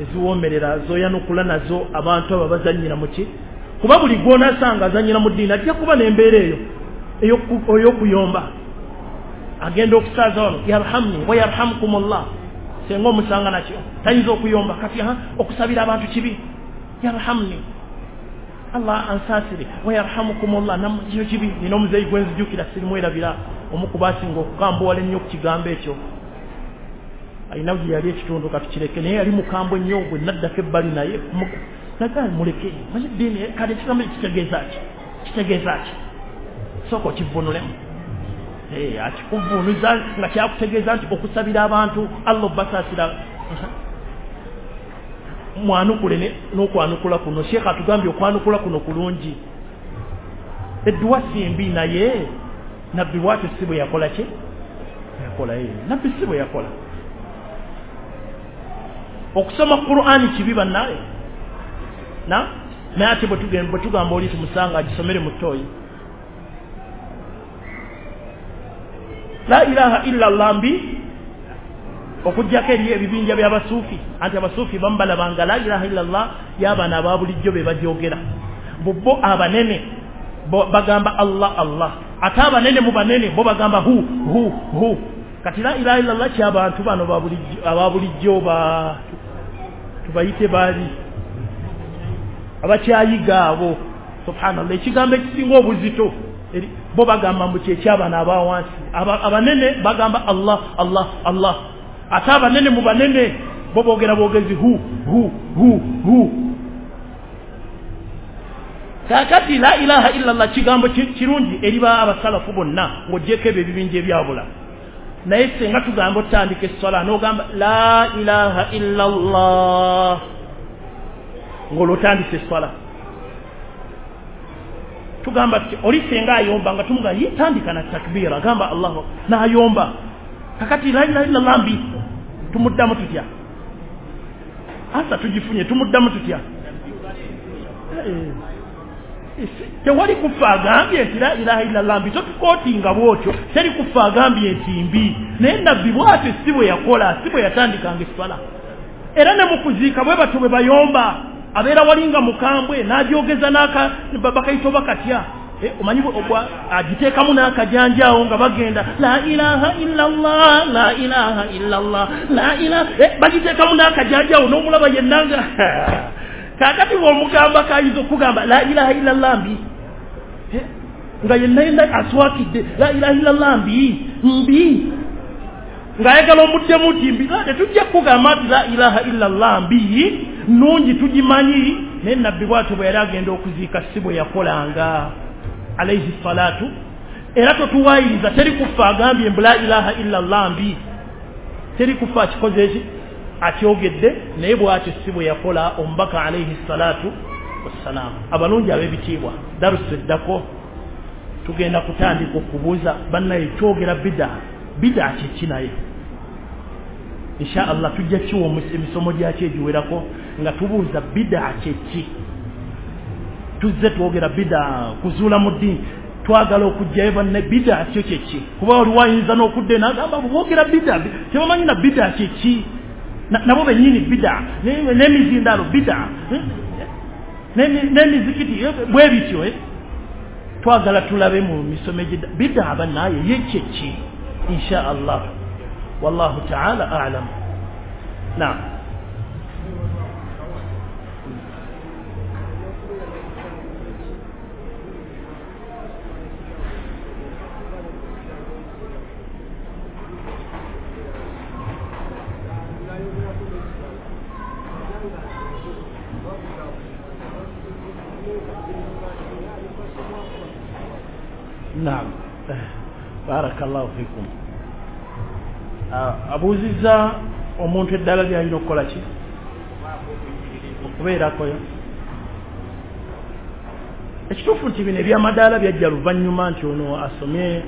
eziwoomerera zoyanukula nazo abantu abo bazannyira muki, kuba buli gw'onaasanga azannyira mu ddiini ajja kuba n'embeera eyo ey'okuyomba. Agenda okusaaza wano yarhamni wa yarhamkumullah, senga omusanga nakyo tayinza okuyomba kati okusabira abantu kibi, yarhamni Allah ansaasire wa yarhamukumullah, nakyo kibi. Nina omuzeeyi gwe nzijukira sirimwerabira, omu ku baasinga okukambuwala ennyo ku kigambo ekyo, alina gye yali ekitundu katukireke, naye yali mukambwe nnyo gwe naddako ebbali naye nagaa muleke, manyi ddiini kale ekigambo kitegeeza ki, kitegeeza ki, sooka okivvuunulemu. Akikuvuunuza nga kyakutegeeza nti okusabira abantu Allah obasaasira. Mwanukule n'okwanukula kuno. Sheikh atugambye okwanukula kuno kulungi. Edduwa si mbi, naye nabbi bwatyo si bwe yakola ki? Yakola ye. Nabbi si bwe yakola. Okusoma Qur'ani kibi bannaye. Na naye ate bwe tugamba oli tumusanga agisomere mu ttooyi. La ilaha illa Allah mbi, okuggyako eri ebibinja by'abasuufi, anti abasuufi bamubalabanga la ilaha illa Allah y'abaana aba bulijjo be bagyogera. Bo abanene bagamba Allah Allah, ate abanene mu banene bo bagamba hu hu hu. Kati la ilaha illa Allah ky'abantu bano aba bulijjo ba tubayite baali abakyayiga abo. Subhanallah, ekigambo ekisinga obuzito bo bagamba mbu kyeky'abaana aba wansi. Abanene bagamba Allah Allah Allah, ate abanene mu banene bo boogera boogezi hu hu hu hu. Kaakati la ilaha illa Allah kigambo kirungi eri ba abasalafu bonna ng'oggyeko ebyo ebibinja ebyabula. Naye singa tugamba otandika esswala n'ogamba la ilaha illa Allah ng'olwo otandise esswala, tugamba tuti oli singa ayomba nga tumugamba yitandika na takbira, agamba Allahu n'ayomba. Kakati la ilaha illa Allah mbi, tumuddamu tutya? Asa tugifunye, tumuddamu tutya? Tewali kufa agambye nti la ilaha illa Allah mbi, totukootinga bwotyo. Teri kufa agambye nti mbi, naye nabbi bwatyo si bwe yakola, si bwe yatandikanga esswala. Era ne mu kuziika bwe batyo bwe bayomba, abeera walinga mukambwe n'agyogeza n'aka bakayita bakatya. Omanyi agiteekamu n'akajanjaawo nga bagenda la ilaha illallah, la ilaha illallah, la ilaha, bagiteekamu n'akajanjaawo n'omulaba yenna nga kaakati bw'omugamba kayinza okugamba la ilaha illallah mbi, nga yenna yenna aswakidde la ilaha illallah mbi mbi, ng'ayagala omuddemu nti mbi. Tetujja kugamba nti la ilaha illallah mbi, nnungi tugimanyi, naye nabbi bw'atyo bwe yali agenda okuziika si bwe yakolanga alayhi salatu. Era totuwayiriza, teri kufa agambye mbu la ilaha illallah mbi, teri kufa akikoze eki akyogedde, naye bw'atyo si bwe yakola omubaka alayhi salatu wassalam. Abalungi ab'ebitiibwa, darusu eddako tugenda kutandika okubuuza bannaye kyogera bida, bida kiki naye. Insha Allah tujja kiwa emisomo gyakyo egiwerako nga tubuuza bida kyeki. Tuzze twogera bida kuzuula mu ddiini, twagala okuggyayo banne bida kyo kyeki, kuba waliwo ayinza n'okudda n'agamba boogera bida tebamanyi na bida kyeki, nabo bennyini bida, n'emizindaalo bida, n'emizikiti bwe bityo. Twagala tulabe mu misomo egidda bida bannaye ye kyeki insha Allah. Wallahu ta'ala a'lam. Naam. Naam. Barakallahu fikum. Abuuzizza omuntu eddala lyalina okukola ki okubeerakoyo. Ekituufu nti bino ebyamadaala byajja luvannyuma nti ono asomye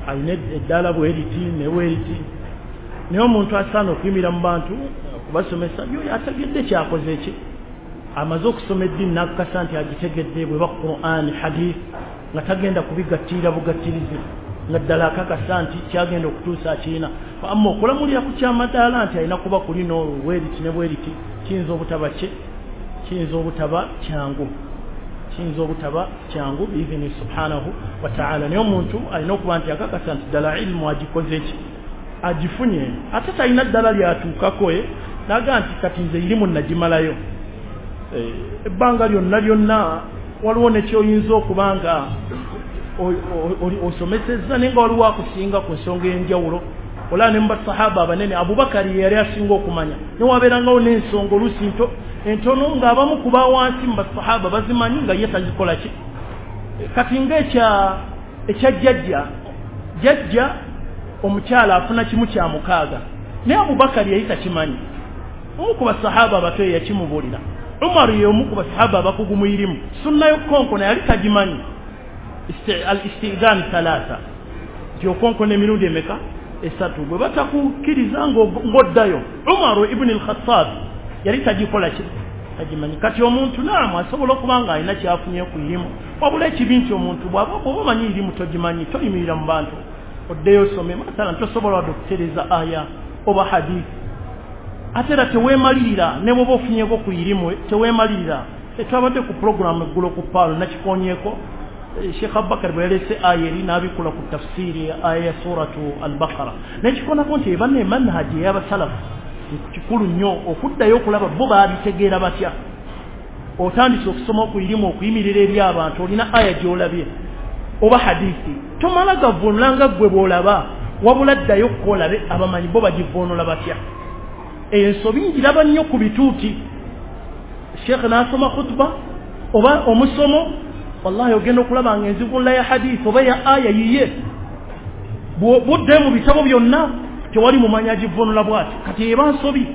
alina eddaala bweriti ne bweriti, naye omuntu asaana okuyimirira mu bantu okubasomesa yoyo ategedde kyakoze ki, amaze okusoma eddiini n'akakasa nti agitegedde bweba Qur'an hadith, nga tagenda kubigattira bugattirizi, nga ddala akakasa nti kyagenda okutuusa akirina. Amma okulamulira ku kyamadaala nti alina kuba kulino bweriti ne bweriti kiyinza obutaba ki, kiyinza obutaba kyangu, kiyinza obutaba kyangu biizini subhanahu wa ta'ala. Naye omuntu alina okuba nti akakasa nti ddala ilmu agikoze ki, agifunye, ate talina ddala lyatuukako naga nti kati nze irimu nagimalayo. Ebbanga lyonna lyonna waliwo nekyoyinza okuba nga osomesezza naye nga waliwo akusinga ku nsonga ey'enjawulo. Olaba ne mu basahaba abanene Abubakari yali asinga okumanya, newabeerangawo n'ensonga oluusi entono ng'abamu ku bawansi mu basahaba bazimanyi nga ye tazikola ki. Kati nga ekya jjajja, jjajja omukyala afuna 1/6, naye Abubakari yali takimanyi. Omu ku basahaba abato yakimubuulira. Umar ye omu ku basahaba abakugu mu irimu, sunna y'okukonkona yali tagimanyi. Al-istidhan thalatha, nti okonkona emirundi emeka? 3. Bwe batakukkiriza ng'oddayo. Umar ibn al-Khattab yali tagikola ki, tagimanyi. Kati omuntu naamu asobola okuba nga alina kyafunye ku irimu, wabula ekibi nti omuntu bw'aba omanyi irimu togimanyi, toyimirira mu bantu oddeyo osome. Mathalan tosobola wadde okutereeza aya oba hadith, ate era teweemalirira ne bw'oba ofunyeko ku irimu teweemalirira. Twabadde ku puroguramu eggulo ku Paalo nakikonyeeko, Sheikh Abubakar bwe yaleese aya eri n'abikula ku tafsiiri aya ya suratu Al-Baqara, nekikonako nti eba ne manhaji ey'abasalafu kikulu nnyo okuddayo okulaba bo baabitegeera batya. Otandise okusoma ku irimu okuyimirira eri abantu, olina aya gy'olabye oba hadithi, tomala gavvuunula nga ggwe bw'olaba, wabula ddayo okukolabe abamanyi bo bagivvuunula batya. Ensobi ngiraba nnyo ku bituuti. Sheikh n'asoma khutuba oba omusomo, wallahi ogenda okulaba nga enzivuunula ya hadithi oba ya aya yiye, budde mu bitabo byonna tewali mumanyi agivvuunula bw'ati. Kati eba nsobi,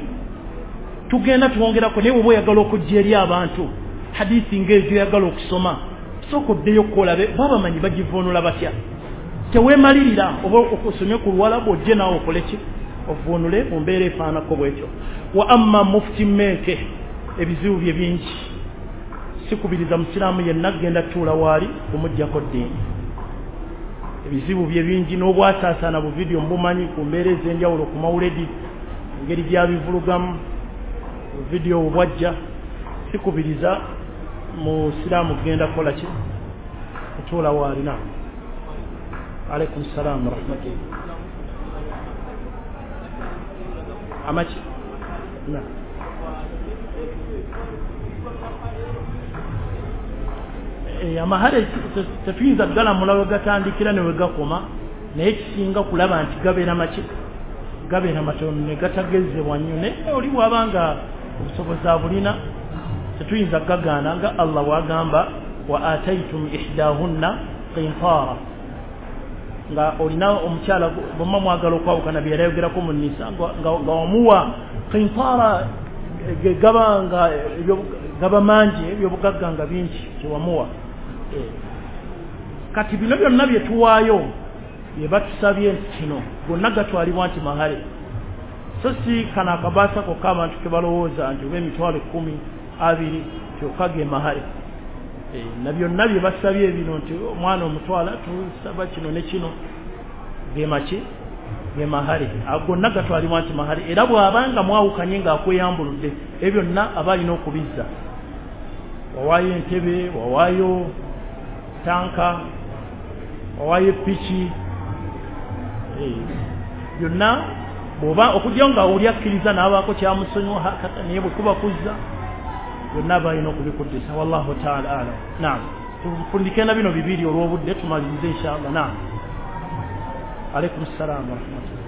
tugenda twongerako. Naye bw'oba oyagala okujja eri abantu hadithi ng'ezo oyagala okusoma, sooka oddeyo okukolabe babamanyi bagivvuunula batya. Teweemalirira oba osomye ku Luwalabu ojje naawe okole ki, ovvuunule mu mbeera efaanako bwetyo. Wa amma mufti Menke, ebizibu bye bingi. Sikubiriza musiraamu yenna kugenda tuula waali kumuggyako ddiini. Ebizibu bye bingi n'obwasaasaana bu vidiyo mbumanyi ku mbeera ez'enjawulo ku mawuledi, engeri gy'abivulugamu vidiyo obwajja. Sikubiriza musiraamu kugenda kukola ki, Kutuula waali. Naam, alaikum salaam warahmatullah. Amaki? Naam. Amahale tetuyinza kugalamula we gatandikira ne we gakoma, naye kisinga kulaba nti gabeera maki, gabeera matono ne gatagezebwa nnyo. Naye oli bw'abanga obusobozi abulina tetuyinza kugagaana, nga Allah bw'agamba wa ataitum ihdahunna qintara, nga olina omukyala bwemma mwagala okwawukana bye yayogerako mu Nisa, nga omuwa qintara, gaba nga gaba mangi, ebyobugagga nga bingi kyewamuwa. Kati bino byonna bye tuwaayo bye batusabye nti kino gonna gatwalibwa nti mahale, so si kano akabaasa kokka abantu ke balowooza nti oba 10,000 20 kyokka ge mahale. Na byonna bye basabye bino nti omwana omutwala tusaba kino ne kino, ge maki, ge mahale, gonna gatwalibwa nti mahale. Era bw'abanga mwawukanye ng'akweyambuludde, ebyo byonna aba alina okubizza. Wawaayo entebe, wawaayo tanka, wawaayo piki, byonna bw'oba okujja nga oli akkiriza n'abaako kyamusonyiwa, naye bwe kuba kuzza byonna aba alina okubikuddisa. Wallahu taala alam. Naam, tufundike na bino bibiri olw'obudde tumalirize inshallah. Naam, alaikum salaam warahmatullah.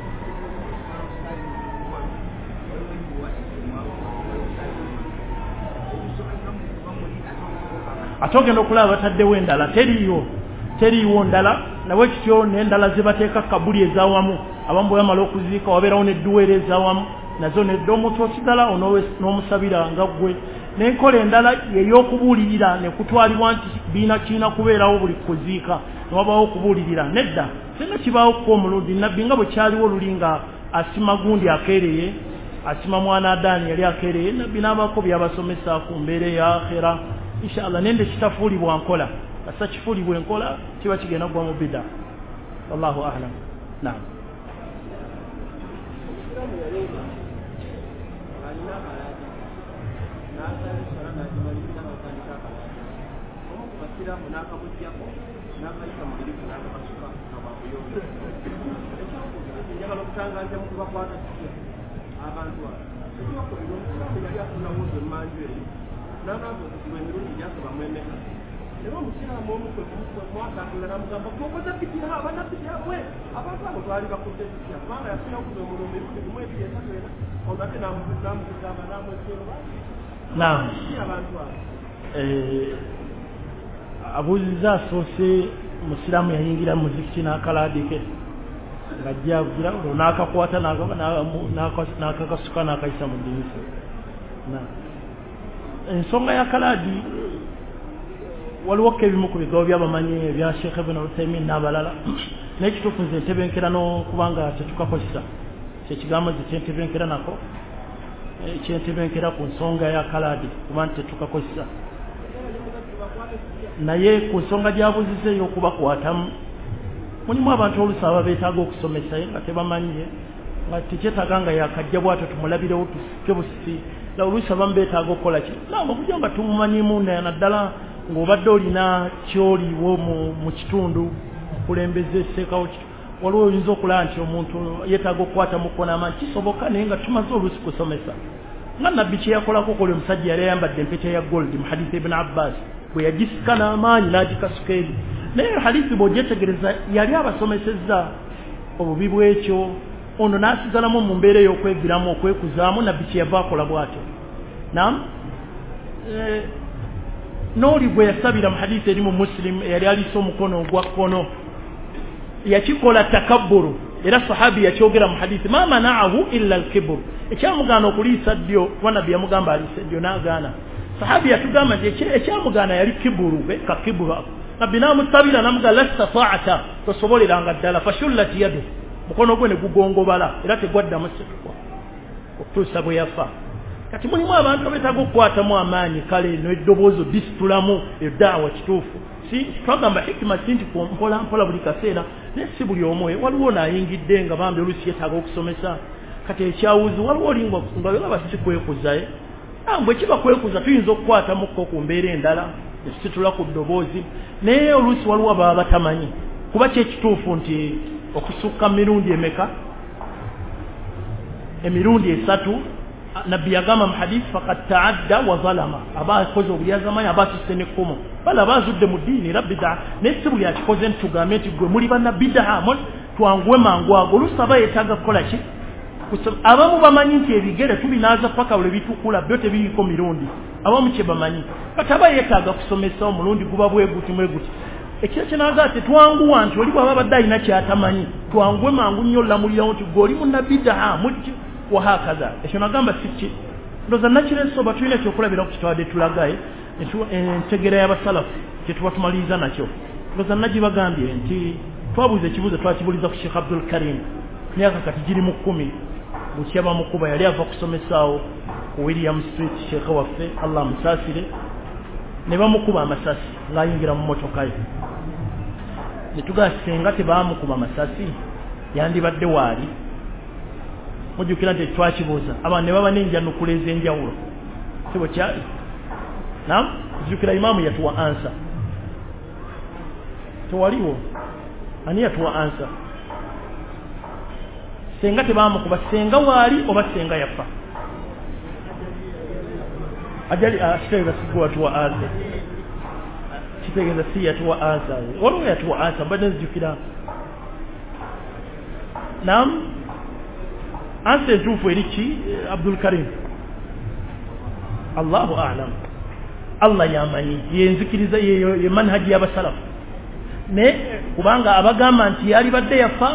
Ate ogenda okulaba bataddewo endala, teriiwo ndala, nawe kityo n'endala zebateeka kabuli ezawamu, abamu bwe bamala okuziika wabeerawo n'edduwa era ezawamu nazo nedda, omuntu osigala n'omusabira nga ggwe. N'enkola endala ey'okubuulirira ne kutwalibwa nti kirina kubeerawo buli kuziika ne wabaawo okubuulirira, nedda sina kibaawo kuko omulundi. Nabbi nga bwe kyaliwo luli nga asima gundi akeereye, asima mwana Adaani yali akeereye, nabbi n'abaako byabasomesa ku mbeera eya akhera inshallah. Nende kitafuulibwa nkola, kasa kifuulibwa enkola kiba kigenda kugwa mu bida. Wallahu a'lam. Naam. Naam. Abuuziza asoose musiraamu yayingira muzikiti n'akalaadi ke ng'ajja avugira olwo n'akakwata n'akakasuka n'akayisa mu ddinisa. Ensonga ya kalaadi waliwo ko ebimu ku bigambo by'abamanyi ebya Sheikh Ibn Uthaymin n'abalala, naye ekituufu nze ntebenkera n'okubanga tetukakozesa kyekigambo nze kyentebenkera nako, kyentebenkera ku nsonga ya kalaadi kuba nti tetukakozesa. Naye ku nsonga gy'abuuziza ey'okubakwatamu, mulimu abantu oluusi aba beetaaga okusomesa nga tebamanyi, nga tekyetaaga nga yakajja bw'atyo tumulabirewo tusike busisi, oluusi abamu beetaaga okukola ki naam, okujja nga tumumanyimu naddala ng'obadde olina kyoliwo mu kitundu okulembeza esseekawo, waliwo oyinza okulaba nti omuntu yeetaaga okukwata mukono amaanyi, kisoboka, naye nga tumaze oluusi kusomesa. Nga nabbi kye yakolako koli omusajja yali ayambadde empeta ya gold mu hadithi Ibn Abbas, bwe yagisika n'amaanyi n'agikasuka eri. Naye hadithi bw'ogyetegereza yali abasomesezza obubi bw'ekyo, ono n'asigalamu mu mbeera ey'okweviramu okwekuzaamu, nabbi kye yava akola bw'atyo. Naam, n'oli gwe yasabira mu hadithi eri mu Muslim eyali aliisa omukono ogwa kkono, yakikola takabburu, era sahabi yakyogera mu hadithi ma manaahu illa alkibru, ekyamugaana okuliisa ddyo, kuba nabbi yamugamba aliise ddyo n'agaana. Sahabi yatugamba nti ekyamugaana yali kiburu, kakiburu ako. Nabbi n'amusabira n'amugamba lasta ta'ata, tosoboleranga ddala, fashullat yadu, mukono gwe ne gugongobala era tegwaddamu situkwa okutuusa bwe yafa. Kati mulimu abantu abeetaaga okukwatamu amaanyi, kale n'eddoboozi disitulamu eddaawa kituufu. Si twagamba hikima si nti mpola mpola buli kaseera, naye si buli omu. Waliwo naayingidde nga bambi oluusi yeetaaga okusomesa. Kati ekyawuzi waliwo oli nga olaba si kwekuza, bwe kiba kwekuza tuyinza okukwatamuko ku mbeera endala, Nesitula ku ddoboozi, naye oluusi waliwo baba batamanyi kuba kyekituufu nti okusukka mirundi emeka? Emirundi 3. Nabbi yagamba mu hadith faqad ta'adda wa zalama, aba akoze obulyazamanyi, aba asusse n'ekkomo, bala aba azudde mu ddiini era bid'a. Naye si buli akikoze nti tugambe nti gwe muli bannabidaa, twanguwe mangu ago. Oluusi aba yeetaaga kukola ki? Abamu bamanyi nti ebigere tubinaaza paka lwe bitukula, byo tebiriko mirundi, abamu kye bamanyi. Kati aba yeetaaga kusomesa omulundi guba bweguti mweguti. Ekiro kyenaaga tetwanguwa nti oli bw'aba abadde alina kyatamanyi twanguwe mangu nnyo olamulirawo nti gwe oli munnabidaa wahakaza. Ekyo nagamba si ki, ndowooza nakireese oba tulina ekyokulabirako kitwadde tulagaye entegeera y'abasalafu kye tuba tumaliriza nakyo. Ndowooza nagibagambye nti twabuuza ekibuuzo, twakibuuliza ku Sheikh Abdul Karim myaka kati giri mu 10 bukya bamukuba, yali ava kusomesaawo ku William Street, sheekhe waffe Allah amusaasire, ne bamukuba amasasi ng'ayingira mu mmotoka ye. Ne tugamba singa tebamukuba amasasi yandibadde waali. Mujjukira nti twakibuuza abantu ne baba n'enjanukula ez'enjawulo, si bwe kyali? Naam, jjukira imaamu yatuwa ansa, tewaliwo ani yatuwa ansa? Senga tebamukuba senga waali oba senga yafa? Ajali kitegeeza sigwe watuwa ansa, kitegeeza si yatuwa ansa, waliwo yatuwa ansa mbadde nzijukira. Naam, ansa entuufu eri ki Abdul Karim? Allahu a'lam, Allah yamanyi, yenzikiriza ye manhaji y'abasalafu. Ne kubanga abagamba nti yalibadde yafa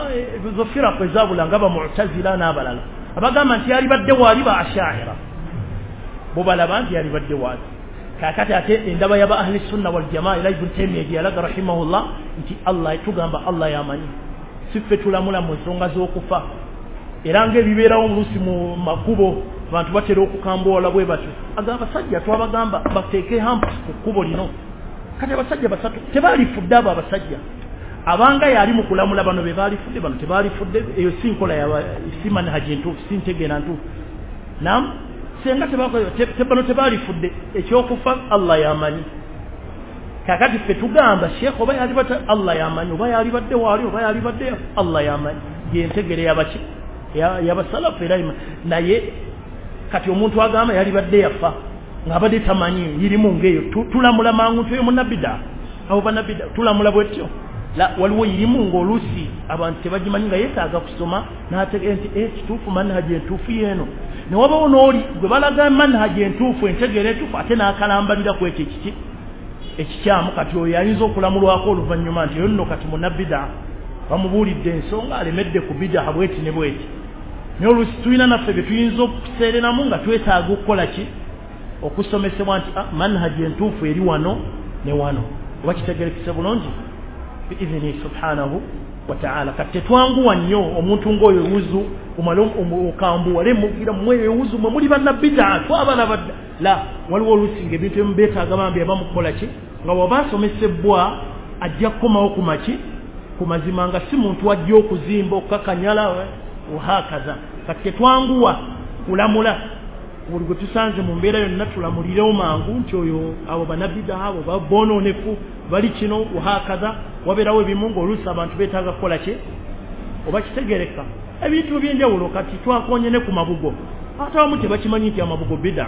zo firaqu ezabula nga ba Mu'tazila n'abalala, abagamba nti yalibadde waali ba Asha'ira, bo balaba nti yalibadde waali. Kaakati ate endaba y'aba ahli sunna wal jamaa ila Ibn Taymiyyah gye yalaga rahimahullah nti Allah tugamba Allah yamanyi, si ffe tulamula mu nsonga z'okufa. Era ng'ebibeerawo oluusi mu makubo abantu batera okukambuwala bwe batyo, agamba abasajja twabagamba bateeke hamps ku kkubo lino, kati abasajja basatu tebaalifudde. Abo abasajja abanga yali mu kulamula bano be baalifudde, bano tebaalifudde. Eyo si nkola si manhaji ntuufu, si ntegeera ntuufu. Naam, senga bano tebaalifudde, ekyokufa Allah yamanyi. Kakati ffe tugamba sheekh oba yalibadde Allah yamanyi, oba yalibadde waali oba yalibadde Allah yamanyi, yentegere yabaki yabasalafu era. Naye kati omuntu agamba yalibadde yafa ng'abadde tamanyi irimu ng'eyo, tulamula mangu nti oyo munnabida, abo bannabida tulamula bwetyo. Waliwo irimu ng'oluusi abantu tebagimanyi nga yeetaaga kusoma n'ategeera nti kituufu manhaji entuufu yeeno. Ne wabawo n'oli gwe balaga manhaji entuufu, entegeera entuufu, ate n'akalambalira ku ekyo ekiki ekikyamu. Kati oyo ayinza okulamulwako oluvannyuma nti oyo nno kati munnabida, bamubuulidde ensonga alemedde ku bidaa bweti ne bweti. Naye oluusi tulina naffe bye tuyinza okuseereramu nga twetaaga okukola ki? Okusomesebwa nti manhaji entuufu eri wano ne wano. Oba kitegerekese bulungi biidhini subhanahu wa ta'ala. Kati tetwanguwa nnyo omuntu ng'oyo wuzu omale okambuwale mugira mwe wuzu mwe muli bannabidaa twabalabadda. La, waliwo oluusi ng'ebintu ebimu beetaaga bambi abamukukola ki, nga bw'aba asomesebwa ajja kukomawo ku maki ku mazima, nga si muntu ajja okuzimba okukakanyala wahakaza. Kati tetwanguwa kulamula buli gwe tusanze mu mbeera yonna tulamulirewo mangu nti oyo abo bannabida abo babonoonefu bali kino wahakaza. Wabeerawo ebimu ng'oluusi abantu beetaaga kukola ki, oba kitegereka ebintu ebyenjawulo. Kati twakonye ne ku mabugo, ate abamu tebakimanyi nti amabugo bida.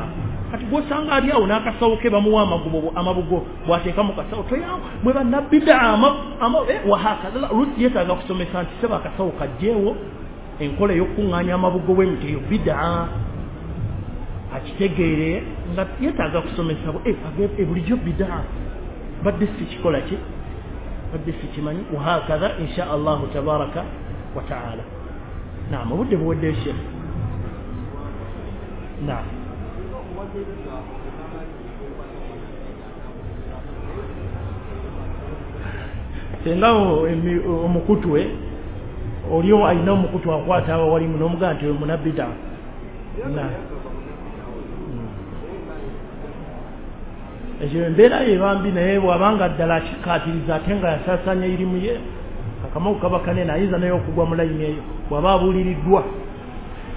Kati gw'osanga ali awo n'akasawo ke bamuwa amabugo bw'ateeka mu kasawo toyawo mwe bannabida wahakaza. Oluusi yeetaaga kusomesa nti seba akasawo kajjeewo, enkola ey'okukuŋŋaanya amabugo bw'emiti eyo bida, akitegeere nga yeetaaga kusomesa bulijjo bida badde si kikola ki, badde si kimanyi wahakaza. Insha Allahu tabaraka wa taala. Naam, obudde buweddeyo sheekh. Naam, senga omukutwe oliyo alina omukutu akwata awo walimu n'omugamba nti oyo munnabida. Ekyo embeera ye bambi, naye bw'abanga ddala akikkaatiriza ate nga yasaasaanya irimu ye, akamagu kaba kanene, ayinza naye okugwa mu layini eyo bw'aba abuuliriddwa.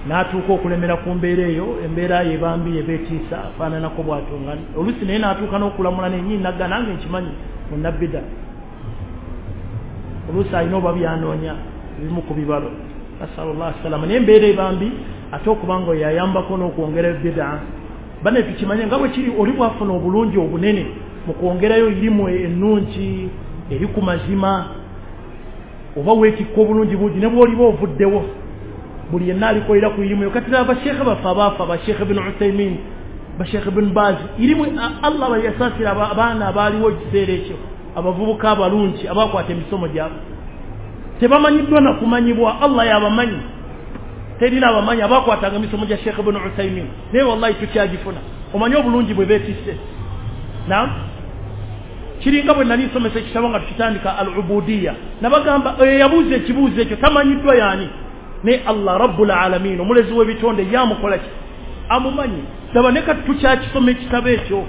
N'atuuka okulemera ku mbeera eyo, embeera ye bambi ebeetiisa afaananako bw'atyo nga oluusi naye n'atuuka n'okulamula nennyini nagga nange nkimanyi munnabida. Oluusi alina oba byanoonya ebimu ku bibalo, nasalullah salama. Naye embeera ebambi ate okubanga oyo ayambako n'okwongera bida. Bane tukimanye nga bwe kiri oli bwafuna obulungi obunene mu kwongerayo irimu ennungi eri ku mazima, oba weetikka obulungi bungi ne bw'oliba ovuddewo buli yenna alikolera ku irimu eyo. Kati abasheekhe baffe abaafa, basheekhe bin Uthaymin, basheekhe bin Baz, irimu Allah bayasaasira abaana abaaliwo ekiseera ekyo, abavubuka abalungi abakwata emisomo gyabwe tebamanyiddwa na kumanyibwa, Allah yabamanyi, terina abamanyi abakwatanga emisomo gya Sheikh ibn Uthaymin, naye wallahi tukyagifuna. Omanyi obulungi bwe beetisse. Naam, kiringa bwe nali nsomesa ekitabo nga tukitandika al-ubudiya, nabagamba yabuuza ekibuuzo ekyo tamanyiddwa yaani, naye Allah rabbul alamin omulezi w'ebitonde yamukola ki, amumanyi. Daba ne kati tukyakisoma ekitabo ekyo.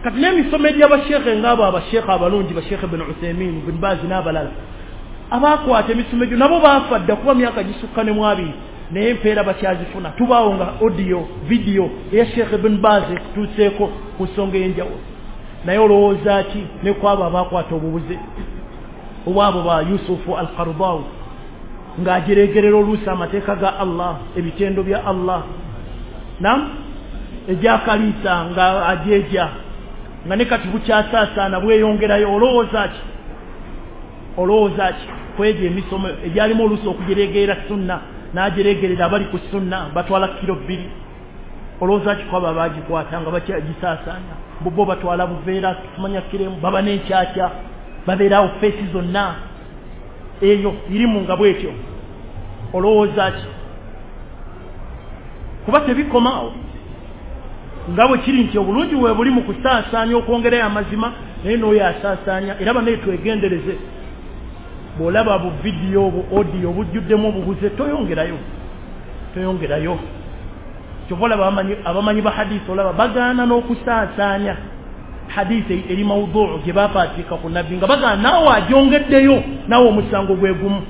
Kati n'emisomo egy'abasheekhe ng'abo abasheekhe abalungi, basheekhe ibn Uthaymin, ibn Baz n'abalala abakwata emisomo egyo nabo baafa dda kuba myaka gisukka ne mu abiri, naye empeera bakyazifuna. Tubaawo nga audio video eya Sheikh ibn Baz ekutuuseeko ku nsonga ey'enjawulo. Naye olowooza ki ne ku abo abakwata obubuze obwabo ba Yusufu al-Qaradawi ng'agireegerera oluusi amateeka ga Allah, ebitendo bya Allah, nam egyakaliisa nga ajeeja nga ne kati bukyasaasaana bweyongerayo. Olowooza ki? Olowooza ki kwegyo emisomo egyalimu oluusi okugireegerera sunna n'agireegerera abali ku sunna batwala kiro 2? Olowooza ki kwabo abagikwata nga bakyagisaasaanya bo batwala buveera tumanya kiremu baba n'enkyakya babeerawo feesi zonna eyo irimu nga bwetyo. Olowooza ki? Kuba tebikomaawo nga bwe kiri nti obulungi bwe buli mu kusaasaanya okwongerayo amazima, naye n'oyo asaasaanya. Era bannaye twegendereze, bw'olaba bu vidiyo bu audio bujjuddemu obubuze toyongerayo, toyongerayo. Kyova olaba abamanyi ba hadisi olaba bagaana n'okusaasaanya hadisi eri mawuduu gye bapaatika ku nabbi, nga bagaana naawe agyongeddeyo naawe omusango gwe gumu.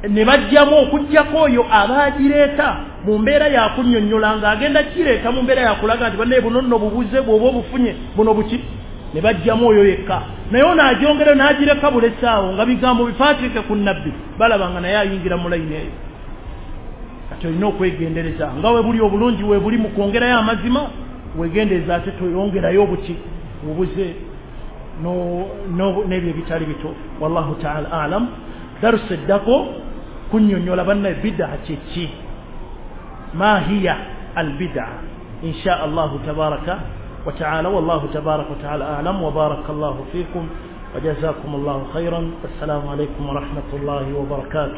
Ne bajjamu okuggyako oyo abaagireeta mu mbeera yakunnyonnyola ng'agenda kireeta mu mbeera yakulaga nti bannaye buno nno bubuze bw'oba obufunye buno buki, ne bajjamu oyo yekka. Naye ono agyongerayo n'agireka bulesaawo nga bigambo bipaatike ku nabbi, balaba nga naye ayingira mu layini eyo. Kati olina okwegendereza nga we buli obulungi we buli mu kwongerayo amazima, wegendereza ate toyongerayo obuki bubuze n'ebyo ebitali bituufu. Wallahu taala alam. Darusa eddako kunnyonnyola bannaye bid'a kye ki, ma hiya albid'a, insha Allahu tabaraka wa taala. Wallahu tabaraka wa taala alam. Wa barakallahu fikum wa jazakumullahu khairan. Assalamu alaykum wa rahmatullahi wa barakatuh.